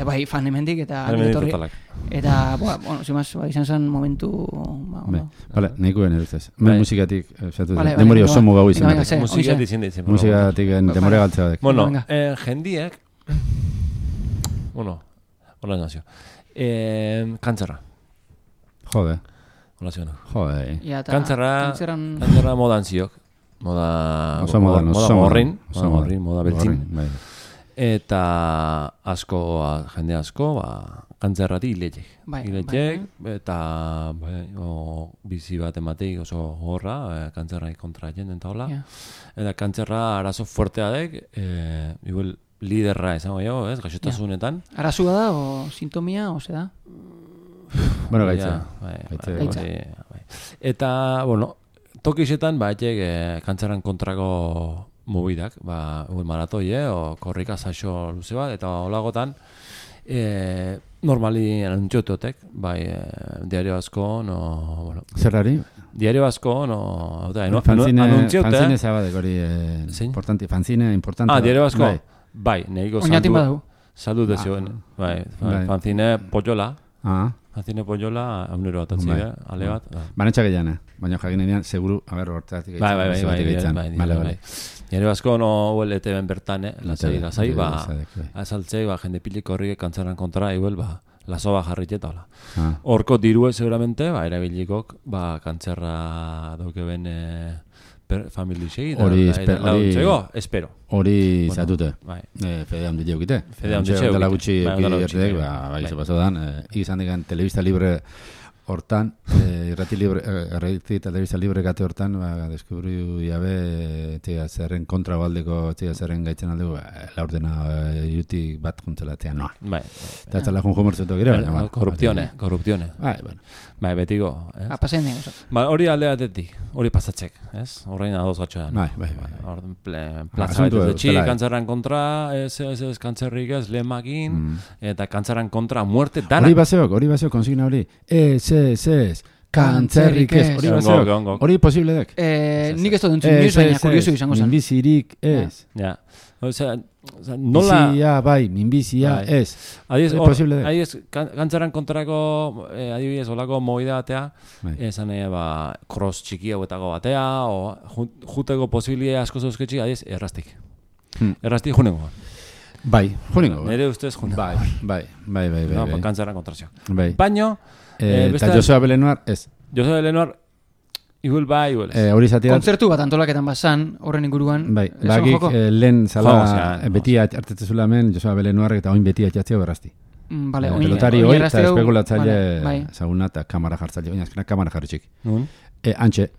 Bai, fan hemendik eta eta, zimaz, izan zen momentu... Vale, nahikoen eruzez. Musikatik, demori oso mugau izan. Musikatik demore galtzea dek. Bueno, jendiek... Hola nazio. Kantzerra. Jode. Hola ziona. Jode. Kantzerra modan ziok. Moda morrin, moda beltzin. Eta jende asko, kantzerrati hiletek. Eta bizi bat emateik oso horra, kantzerrai kontra jenden taola. Eta kantzerra arazo fuertea dek, igual liderra esango jo, gaixotasunetan. Arazua da, o sintomia, o se da? Bueno, gaitza. Eta, tokixetan, kantzeran kontrako mobidak, maratoi, o korrika saixo luze bat, eta holagotan, normali anuntxototek, diario asko, Zerrari? Diario asko, anuntxiote. Fanzine zabadek hori, importante, fanzine importante. Diario asko? Bai, nahiko oinatin badu. Salud dezioen. Fanzine Poyola. Fanzine Poyola, aunero atatzi, ale bat. Banetxak egin, baina jakinean, seguru, hortatik egin. Bai. Nire basko, ETV-en bertan, lasai, azaltzei, jende piliko horrik kantzaran kontra, igual, laso jarriteta, hola. Horko dirue, seguramente, erabilikok, kantzerra dauke ben familisei, espero. Hori zatute. Fede handi jeukite. Fede handi jeukite. Dela gutxi erredek, bagizu pasodan, izan digan telebista libre hortan, irrati telebista libre gate hortan, deskubriu jabe, zerren kontra baldeko, zerren gaitzen aldeko, laurdena jutik bat juntzelatean, noa. Eta ez tala junjo mortzetu gire, baina. Korruptione. Bai, betiko. Pasen dugu. Hori alde batetik, hori pasatzek, ez? Horrein adoz gatxoan. Bai. Plaza batetik, kantzerran kontra, ez kantzerrik ez, lehemakin, eta kantzerran kontra, muerte dana. Hori baseok, konsigna hori. Ez, kantzerrik ez. Hori posible dek. Nik ez dut entzun, nioz baina kuriosu izango zen. Minbizirik ez. Ja. Nola... Bizia, bai, minbizia ez. Adiz, kantzeran kontrako, adibidez, olako moida batea, esan cross txiki hauetako batea, o juteko posibilia asko zauzketxik, adiz, erraztik. Erraztik junengo. Bai, junengo. Nire ustez junengo. Bai. Kantzeran kontrazio. Baino, eta Joseba Belenuar ez. Joseba Belenuar, igual bai. Hori zatiat... Kontzertu bat antolaketan bazan, horren inguruan. Bai, bagik lehen zala beti hartetzezula hemen, Joseba Belenuarrek eta oin beti atxatzea berrazti. Vale, pelotari hoi eta espekulatzaile bai. ezaguna eta kamara jartzaile. Oina, azkenak kamara jarri txik. Nun? Antxe,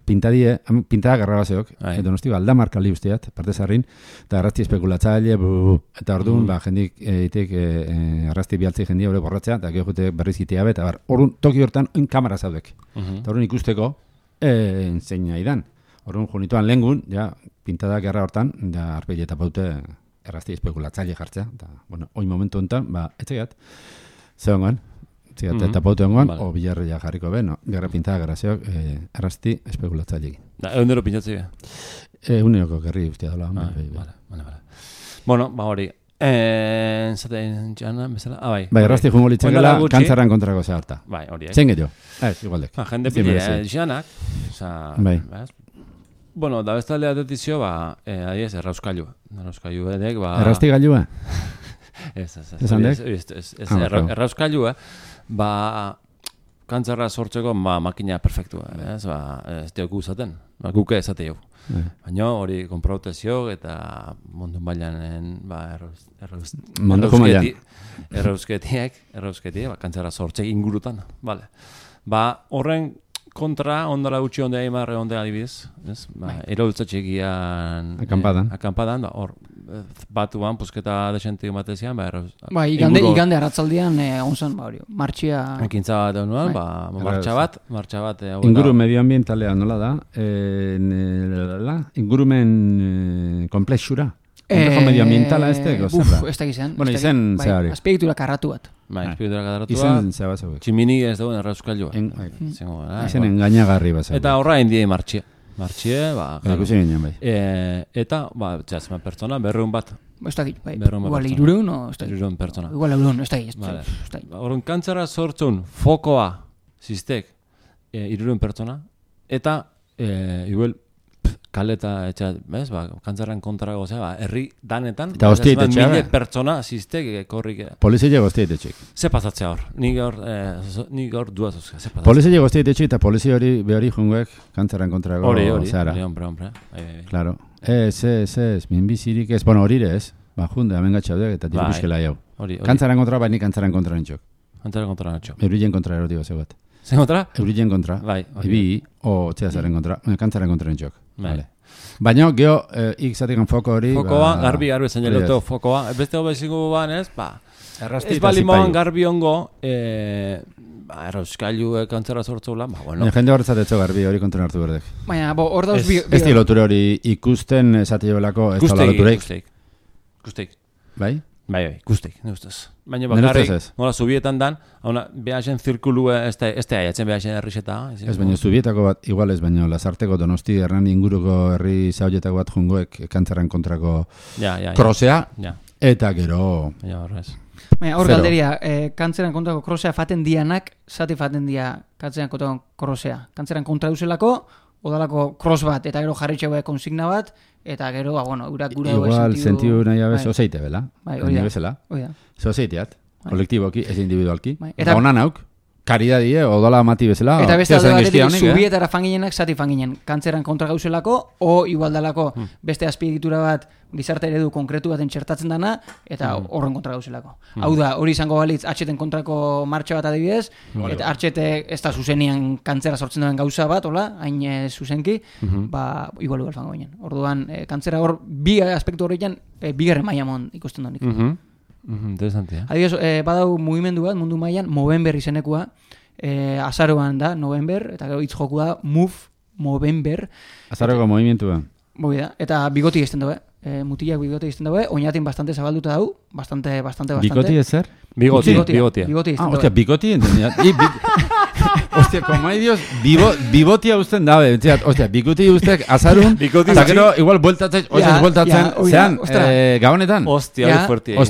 pintada garrabazeok, Donosti aldamarka li usteat, parte zarrin, eta arrasti espekulatzaile, eta orduan, jendik itek arrasti bialtzei jendia hori borratzea, eta gero jute berriz itea eta orduan, toki hortan, kamara zaudek. Eta orduan ikusteko, zein idan. Orduan, junituan lehengun, ja, pintada gerra hortan, da arpegi eta paute errasti espekulatzaile jartzea, eta, bueno, hoi momentu honetan, etxegat, zegoen, eta pautu engoan, o bilarri ja jarriko be, no, gerra pintada garazeok, errasti espekulatzaile. Da, eundero pintatzi be? Euneko gerri ustia dola. Vale. Bueno, hori, zaten jana, bezala, bai. Bai, errasti jungo litzakela, kantzarran kontrako zeharta. Bai, hori, Zen gehiago, igualdek. Jende pili, janak, bai. Bueno, da bestalde atentizio, adiez, errauskailu edek, Errasti gailua? Ez, errauskailu, kantzarra sortzeko makina perfektua, ez diok uzaten, guke ezate jau. Baina hori konprautazio eta mundu mailanen errausketiek, kantzarra sortzek ingurutan, vale. Horren kontra, ondala gutxi ondea imarre ondea adibidez, eraultzatxegian akampadan, hor batuan, pusketa desente batezian, igande arratzaldian onzan, martxia... Ekintza bat egunuan, martxa bat... Inguru medioambientalea nola da, ingurumen komplexura. Komplejo medioambientala ez da, ez da gizan. Bueno, izen zehari. Azpiegitura karratu bat. Azpiegitura karratu bat. Izen zehaba zauek. Tximini ez dagoen errauskailua. Izen engainagarri bat zauek. Eta horra indie martxie, ikusi ginen bai. Eta, txasma pertsona, berreun bat. Ez da bai. Igual irureun, ez da irureun pertsona. Igual irureun, ez da Horren kantzara sortzun fokoa ziztek irureun pertsona, eta igual kaleta etxat, bez, kantzarren kontrago, herri danetan, eta hostiet etxea, mile pertsona ziztek korrik. Polizia hostiet etxik. Ze pasatzea hor? Nik hor duaz uzka, ze pasatzea. Polizia hostiet etxik eta polizia hori behori junguek kantzarren kontrago. Hori, hombre. Claro. Ez, minbizirik ez, bueno, hori ez, junde, hemen gatxaudek eta dirubizkela jau. Kantzarren kontra, bai nik kantzarren kontra nintxok. Kantzarren kontra nintxok. Eurillen kontra eroti bat zegoet. Zen kontra? Eurillen kontra. Bai. Ibi, txedazaren kontra, kantzarren kontra nintxok. Vale. Baina, geho, ikzatikan foko hori... Fokoa, garbi zain eloto fokoa. Beste hobezigu ban ez, ez balimoan garbi ongo, errauskailu kantzara sortzula, bueno. Jende horretzat etxo garbi hori kontra hartu berdek. Baina, hor dauz... Ez loture hori ikusten esate joelako ez da lotureik. Guzteik. Bai? Bai, guzteik, ne ustez. Baina bakarrik, nola zubietan dan, behasen zirkulu ez da aiatzen behasen herrizeta. Ez baina zubietako bat, igual ez baina Lasarteko Donosti Hernani inguruko herri zauletako bat jungoek kantzarren kontrako krosea, eta gero... Baina hor galderia, kantzarren kontrako krosea faten dianak, zati faten dia kantzarren kontrako krosea. Kantzarren kontra duzelako, odalako cross bat, eta gero jarri txegoe konsigna bat, eta gero, urak gura igual sentiu nahi abez, ozeite bela. Bai, hori da. Ozeiteat, kolektiboki, ez individualki. Eta honan hauk, karidadie, odala mati bezala. Eta beste alde batetik, zubietara fanginenak, zati fanginen. Kantzerran kontra gauzelako, o igualdalako beste azpiegitura bat, gizarte eredu konkretu baten txertatzen dana, eta horren kontra gauzelako. Hau da, hori izango balitz, atxeten kontrako martxa bat adibidez, eta atxete ez da zuzenian kantzera sortzen duen gauza bat, hola, hain zuzenki, igual fango ginen. Orduan, kantzera hor, bi aspektu horretan, bigarren maiamon ikusten donik. Interesantea. Adibidez, badau mugimendu bat, mundu mailan, Movember izenekua, azaroan da, November, eta gero hitz joku da, Move Movember. Azaroko movimentua. Boi da, eta bigoti izten daue. Mutilak bigoti izten daue, oinatin bastante zabalduta dau, bastante. Bigoti ez zer? Bigotia. Hostia, bigoti entendia. Hostia, como hay Dios, bigotia usten dabe. Hostia, bigoti ustek azarun, eta gero igual bueltatzen, zean, gabonetan. Hostia, hori fuertia.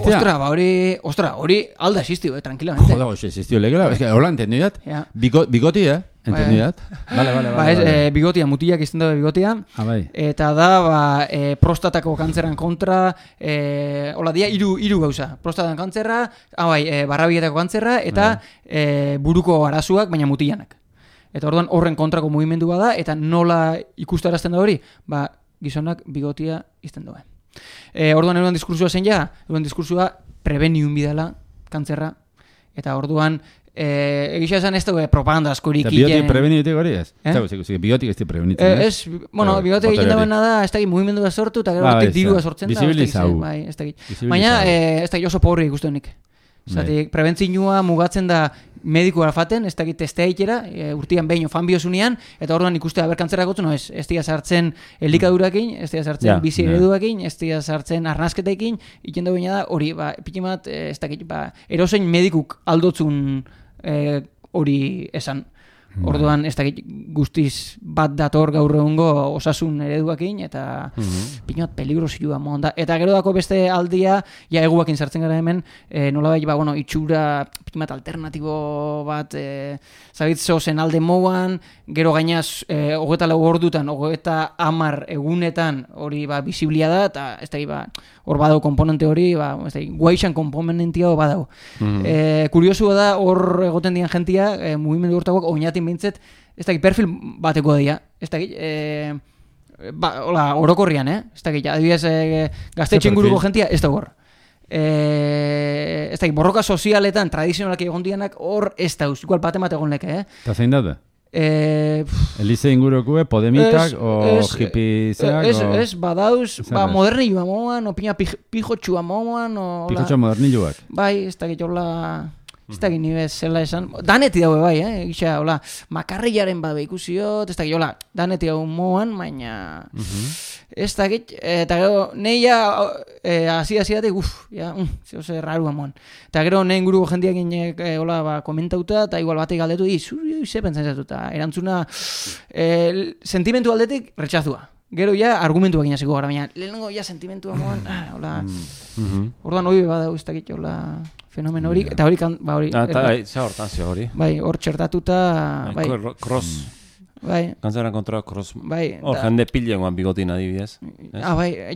Ostra, hori alda existio, tranquilamente. Joder, existio legela, es que hola, entendidat. Bigoti, entendidat. Vale. Bigotia, mutilak izten dabe bigotia. Eta da, prostatako kantzerran kontra, hola dia, hiru gauza. Prostatako kantzerra, barrabietako kantzerra, eta buruko arazuak, baina mutilanak. Eta orduan horren kontrako mugimendu bada, eta nola ikustarazten da hori, gizonak bigotia izten duen. Orduan eruan diskursua zen ja, eruan diskursua prebeniun bidala kantzerra, eta orduan, egisa esan ez dugu propaganda askorik. Eta biotik prebenitik hori ez? Biotik ez di prebenitik, ez? Bueno, biotik egiten dagoena da, ez dakit mugimendua sortu, eta gero hortik dirua sortzen da. Bisibilizau. Bai, ez dakit. Baina, ez dakit oso pobri ikusten nik. Zatik, prebentzinua mugatzen da medikua faten, ez dakit testea ikera, urtian behin fan biosunean, eta orduan ikustea berkantzera gotzen, ez dira sartzen elikadurakin, ez dira sartzen bizi ereduakin, ez dira sartzen arnazketekin, iken da da, hori, pikin bat, ez dakit, erosein medikuk aldotzun hori esan. Orduan, ez dakit guztiz bat dator gaur egungo osasun ereduakin, eta pikin bat peligrosua monda. Eta gero dako beste aldia, ja eguakin sartzen gara hemen, nolabait, itxura, pikin bat alternatibo bat, zabitzo zen alde moan, gero gainaz, 24 ordutan, 30 egunetan, hori bisiblia da, eta ez dakit, hor badau komponente hori, ez dakit, guaixan komponentia badau. Kuriosua da, hor egoten dian jentia, mugimendu hortakoak, oinatin bintzet, ez dakit, perfil bateko dira, ez dakit, orokorrian, ez dakit, adibidez, gaztetxe inguruko jentia, ez da hor. Ez dakit, borroka sozialetan, tradizionalak egon dianak, hor ez dauz, igual bat egon leke, Eta zein dut? Elize ingurukue, podemitak, o hipizeak, Ez, badauz, modernilua moan, opina pijotxua moan, pijotxua modernilluak. Bai, ez dakit, hola... Ez dakit nire zela esan, daneti daue bai, gisa, hola, makarrilaren bat behikusiot, ez dakit, hola, daneti daue moan, baina, ez dakit, eta gero, neia, hasi-datik, zehose rarua moan. Eta gero, nein guruko jendiak inek, hola, komentauta, eta igual batek galdetu, zuri, ze pentsan zatu, eta erantzuna, sentimentu aldetik, retxazua. Gero ja, argumentuak inaziko gara, baina, lehenengo ja, sentimentua moan, hola, orduan hori badau, ez dakit, hola, fenomen hori, eta hori hori... Eta za hortan zio hori. Bai, hor txertatuta... Cross. Bai. Kantzaren kontra cross. Bai. Hor jende pilengoan bigotin adibidez. Bai.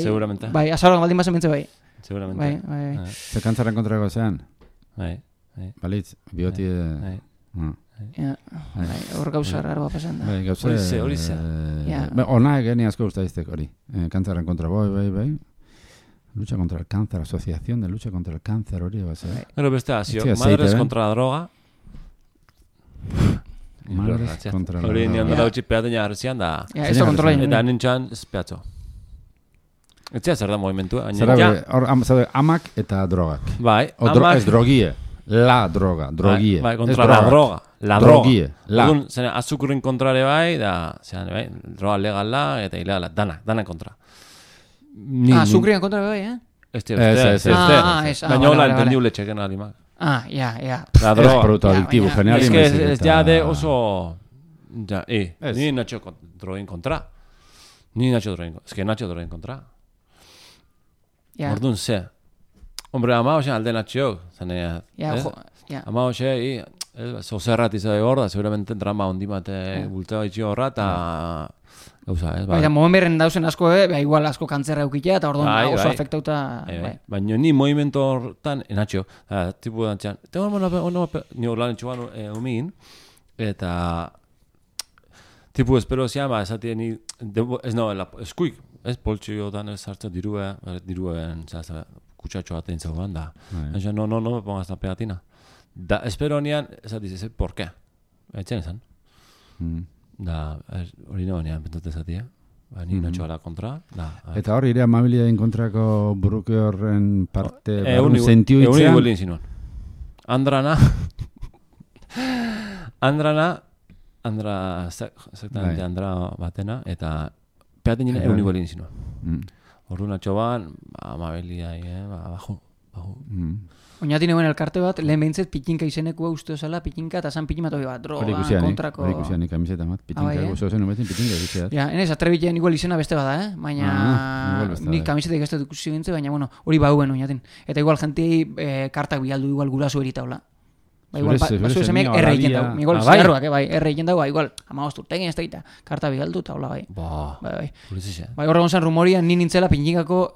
Seguramente. Bai, azaroan baldin bazen mentze bai. Seguramente. Bai. Ze kantzaren kontrako zean? Bai. Balitz, bigoti... Hor gauza raroa pasan da. Bai, gauza... Hori ze. Ona egeni asko guztaiztek hori. Kantzaren kontra, bai. Lucha contra el cáncer, asociación de lucha contra el cáncer, hori va a ser. Pero beste asio, madres contra la droga. Madres contra la droga. Hori nian dela utzi peateña arzian da. Ez da kontrola Eta nintxan espiatzo. Etzea zer da movimentua. Zer amak eta drogak. Bai, amak... Ez drogie. La droga, drogie. Bai, contra la droga. La drogie. Orduan, zene, azukurrin kontrare bai, da, zean, bai, droga legala eta ilegala, dana kontra. Azukrian kontra bai, Ez. Baina hola entendiu letxeken alimak. Ja. La droga. Es producto adictivo, general. Es que es ya de oso... Ya, ni Nacho drogin kontra. Es que Nacho drogin kontra. Orduan, ze. Hombre, ama hoxe alde Nacho. Ama hoxe, zozerrat izade hor da, seguramente drama ondimate bulteo itxi horra, eta... Baina, momen berren dauzen asko, igual asko kantzerra eukitea, eta orduan oso afektauta... Baina ni movimento hortan, enatxo, tipu dantxan, ni hor lan etxuan umigin, eta tipu espero zian, esatien ni, ez no, eskuik, ez poltsiotan ez hartzen diruen, kutsatxo batean zegoen, da. No me pongas la pegatina. Da, espero nian, esatiz, ¿por qué? Etxen esan. Da, hori nago nian pentote esatia. Ni Nacho ala kontra. Eta hori ere amabilidaden kontrako buruke horren parte barun zentiu itzean? Egun iguelin zinuen. Exactamente, Andra batena, eta peaten jine egun iguelin zinuen. Horru Nacho ban, amabilidai, bajo. Oinatin eguen elkarte bat, lehen behintzet pitinka izenekua uste osala, pitinka eta zan pitin bat hori bat, droga, kontrako... Hori ikusianik, kamiseta bat, pitinka guzo zen umetin, pitinka ikusiat. Ja, enez, atrebitean igual izena beste bada, baina nik kamisetak ez dut ikusi bintze, baina bueno, hori bauen oinatin. Eta igual jentei kartak bialdu igual gurasu erita hola. Igual, basu esemeak erre egiten dago. Igual, ziarruak, erre egiten dago, igual, amagoz urtegin ez da, karta bialdu eta hola, bai. Bai, horregon zen rumoria, ni nintzela pinjikako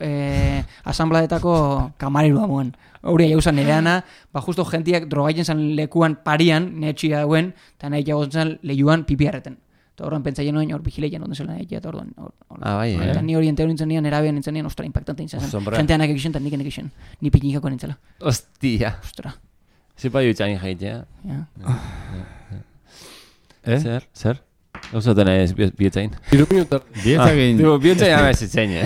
asambladetako kamarerua moen. Hori jauzen nereana, justo gentiak drogaiten zen lekuan parian, netxia dauen, eta nahi jagozen zen lehiuan pipiarreten. Eta horren pentsaien noen hor bigileien onden zela eta orduan. Bai, Eta ni orienteo nintzen nian, erabean nintzen nian, ostra, impactante nintzen zen. Osombra. Jenteanak egiten, eta nik egiten. Ni pinikako nintzela. Ostia. Ostra. Zipa jutxain jaitea. Ja. Zer? Gauzaten ez bietzain. 3 minutar. Bietzagin, Bietzain amezitzen,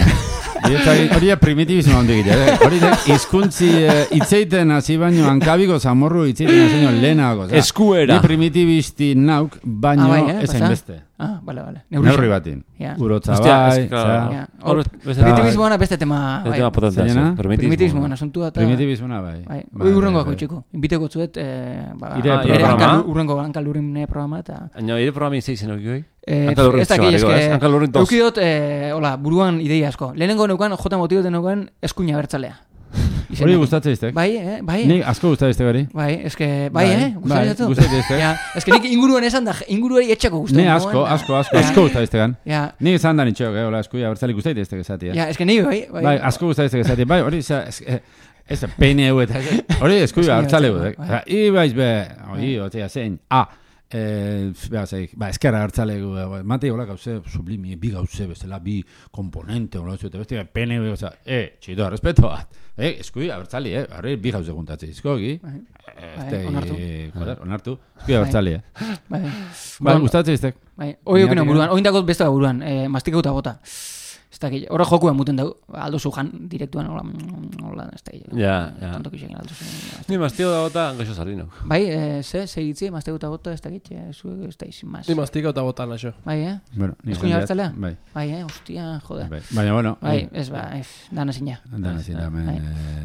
hori da primitibismo handik hori da hizkuntzi hitzeiten hasi baino hankabiko zamorru hitzeiten hasi baino lehenago. Eskuera. Ni primitibisti nauk, baino ez pasa? hainbeste. Vale. Neurri batin. Ja. Urotza Hostia, bai, es claro. Ja. Primitivismoana beste tema. Ez tema potentea. Zeinena? Primitivismoana asuntua eta... Primitivismoa bai. Hoi urrengoako itxiko. Inbiteko zuet, Ire programa. Urrengo hankalurrin programa eta... Aino, ire programa izeizen hori. Ez da Hankalurrin tos. eukidot, hola, buruan ideia asko. Lehenengo neukan, jota motiboten neukan, eskuina bertzalea. Hori gustatzen iztek? Bai. Ni asko gustatzen iztek hori. Bai, gustatzen zatu. Gustatzen iztek. Ja, eske nik inguruan esan da, inguruari etxako gustatzen. Ni asko gustatzen iztegan. Ja. Ni izan da nitxok, hola, eskuia bertzalik gustatzen iztek esatia. Ja, eske ni Bai, asko gustatzen iztek esatia. Bai, hori ez PNU eta hori eskuia bertzalegu. Ibaiz be, hori, otea zein. Eskerra hartzalegu, mate hola gauze sublimi, bi gauze bezala, bi komponente, hola eta beste PNU, oza, txido, respeto bat. Eskui abertzali, horre bi gauze guntatze izkogi. Onartu. Eskui abertzali, Bai, gustatzen iztek. Bai, hori okina buruan, oindako beste buruan, mastikauta bota. Ez dakit, horre jokua muten dugu, aldozu jan direktuan, hola, ez dakit. Ja. Tontok izan aldozu. Ni mastio da bota, gaixo sardinok. Bai, segitzi, mastikauta bota, ez dakit, ez dakit, sin más. Ni mastika eta botan naixo. Bai, Bueno, eskuina bertzalea? Bai. Bai, hostia, joder. Baina, bueno. Bai, dana zina. Dana zina,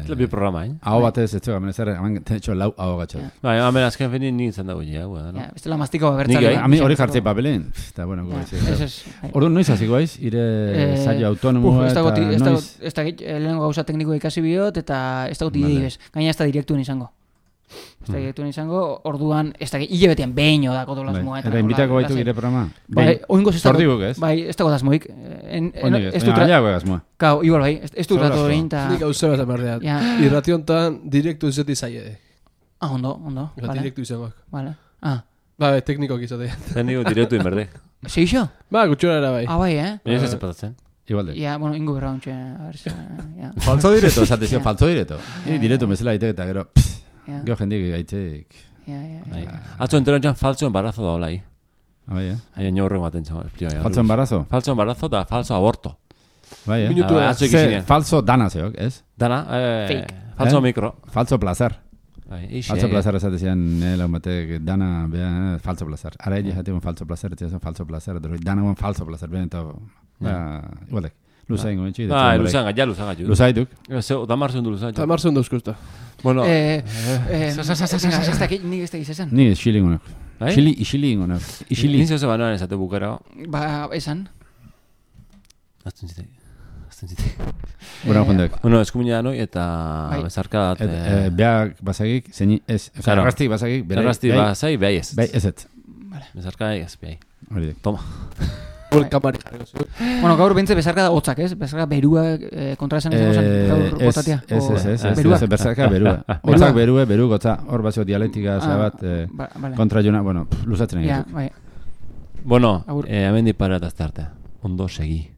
Ez bi programa, Aho batez, ez zuga, menezarre, hamen tenetxo lau aho gatxo. Bai, hamen azken finin ni izan dago ja, Ja, bestela mastikau bertzalea. Ami hori jartzei papelen, eta bueno, goiz. Orduan noiz hasiko aiz, ire saio autonomoa eta noiz. Ez dakit, lehenengo gauza teknikoa ikasi bihot, eta ez dakit idei bez. Gaina ez da direktuen izango. Ez da direktuen izango, orduan, ez dakit, hile betean behin odako dolazmoa. Eta invitako baitu gire programa? Bai, oingoz ez dago. Zordiguk ez? Bai, ez dago dazmoik. Ez dut aiago egazmoa. Kau, igual bai, ez dut rato horrein. Nik hau zeba zamarrean. Irrationtan direktu izati zaie. Ondo. Direktu izangoak. Vale. Ba, teknikoak izate. Zenigo direktu inberde. Seixo? Ba, gutxora era bai. Bai, Baina ez zapatatzen. Igualde. Ja, bueno, ingo berra ontxe. Falso direto, esatezio, falso direto. Direto bezala itek eta gero, gero jendik gaitxeik. Atzo enteron txan falso embarazo da hola, Bai, Aia nio horrego maten txan. Falso embarazo? Falso embarazo da falso aborto. Bai, falso dana zeok, ez? Dana, falso mikro. Falso placer. Falso Falso placer esatezian, laun batek dana, behan, falso placer. Ara egi jatean falso placer, ez falso placer, dana guen falso placer, behan eta, igualdek. Luzain goen txide. Luzan gaitu. Luzaituk. Da marzun du luzan. Eta marzen dauzkusta. Bueno. Ez dakit, nik ez dakit zezan. Ni isiling honak. Isiling honak. Ni zeu banoan esate bukera. Ba, esan. Azten zitek. Gura jondek. Bueno, eskumina noi eta bezarka dat. Beak basagik, zeini ez. Erraztik basagik. Erraztik basai, behai ez. Bai, ez ez. Bezarka ez, behai. Hori Toma. Bueno, gaur bentze bezarka da hotzak, ez? Bezarka berua kontra esan gaur botatia. Ez, bezarka berua. Hotzak berue, beru gotza. Hor basio dialektika zabat kontra jona, bueno, luzatzen egin. Bai. Bueno, hemen diparat azte arte. Ondo segi.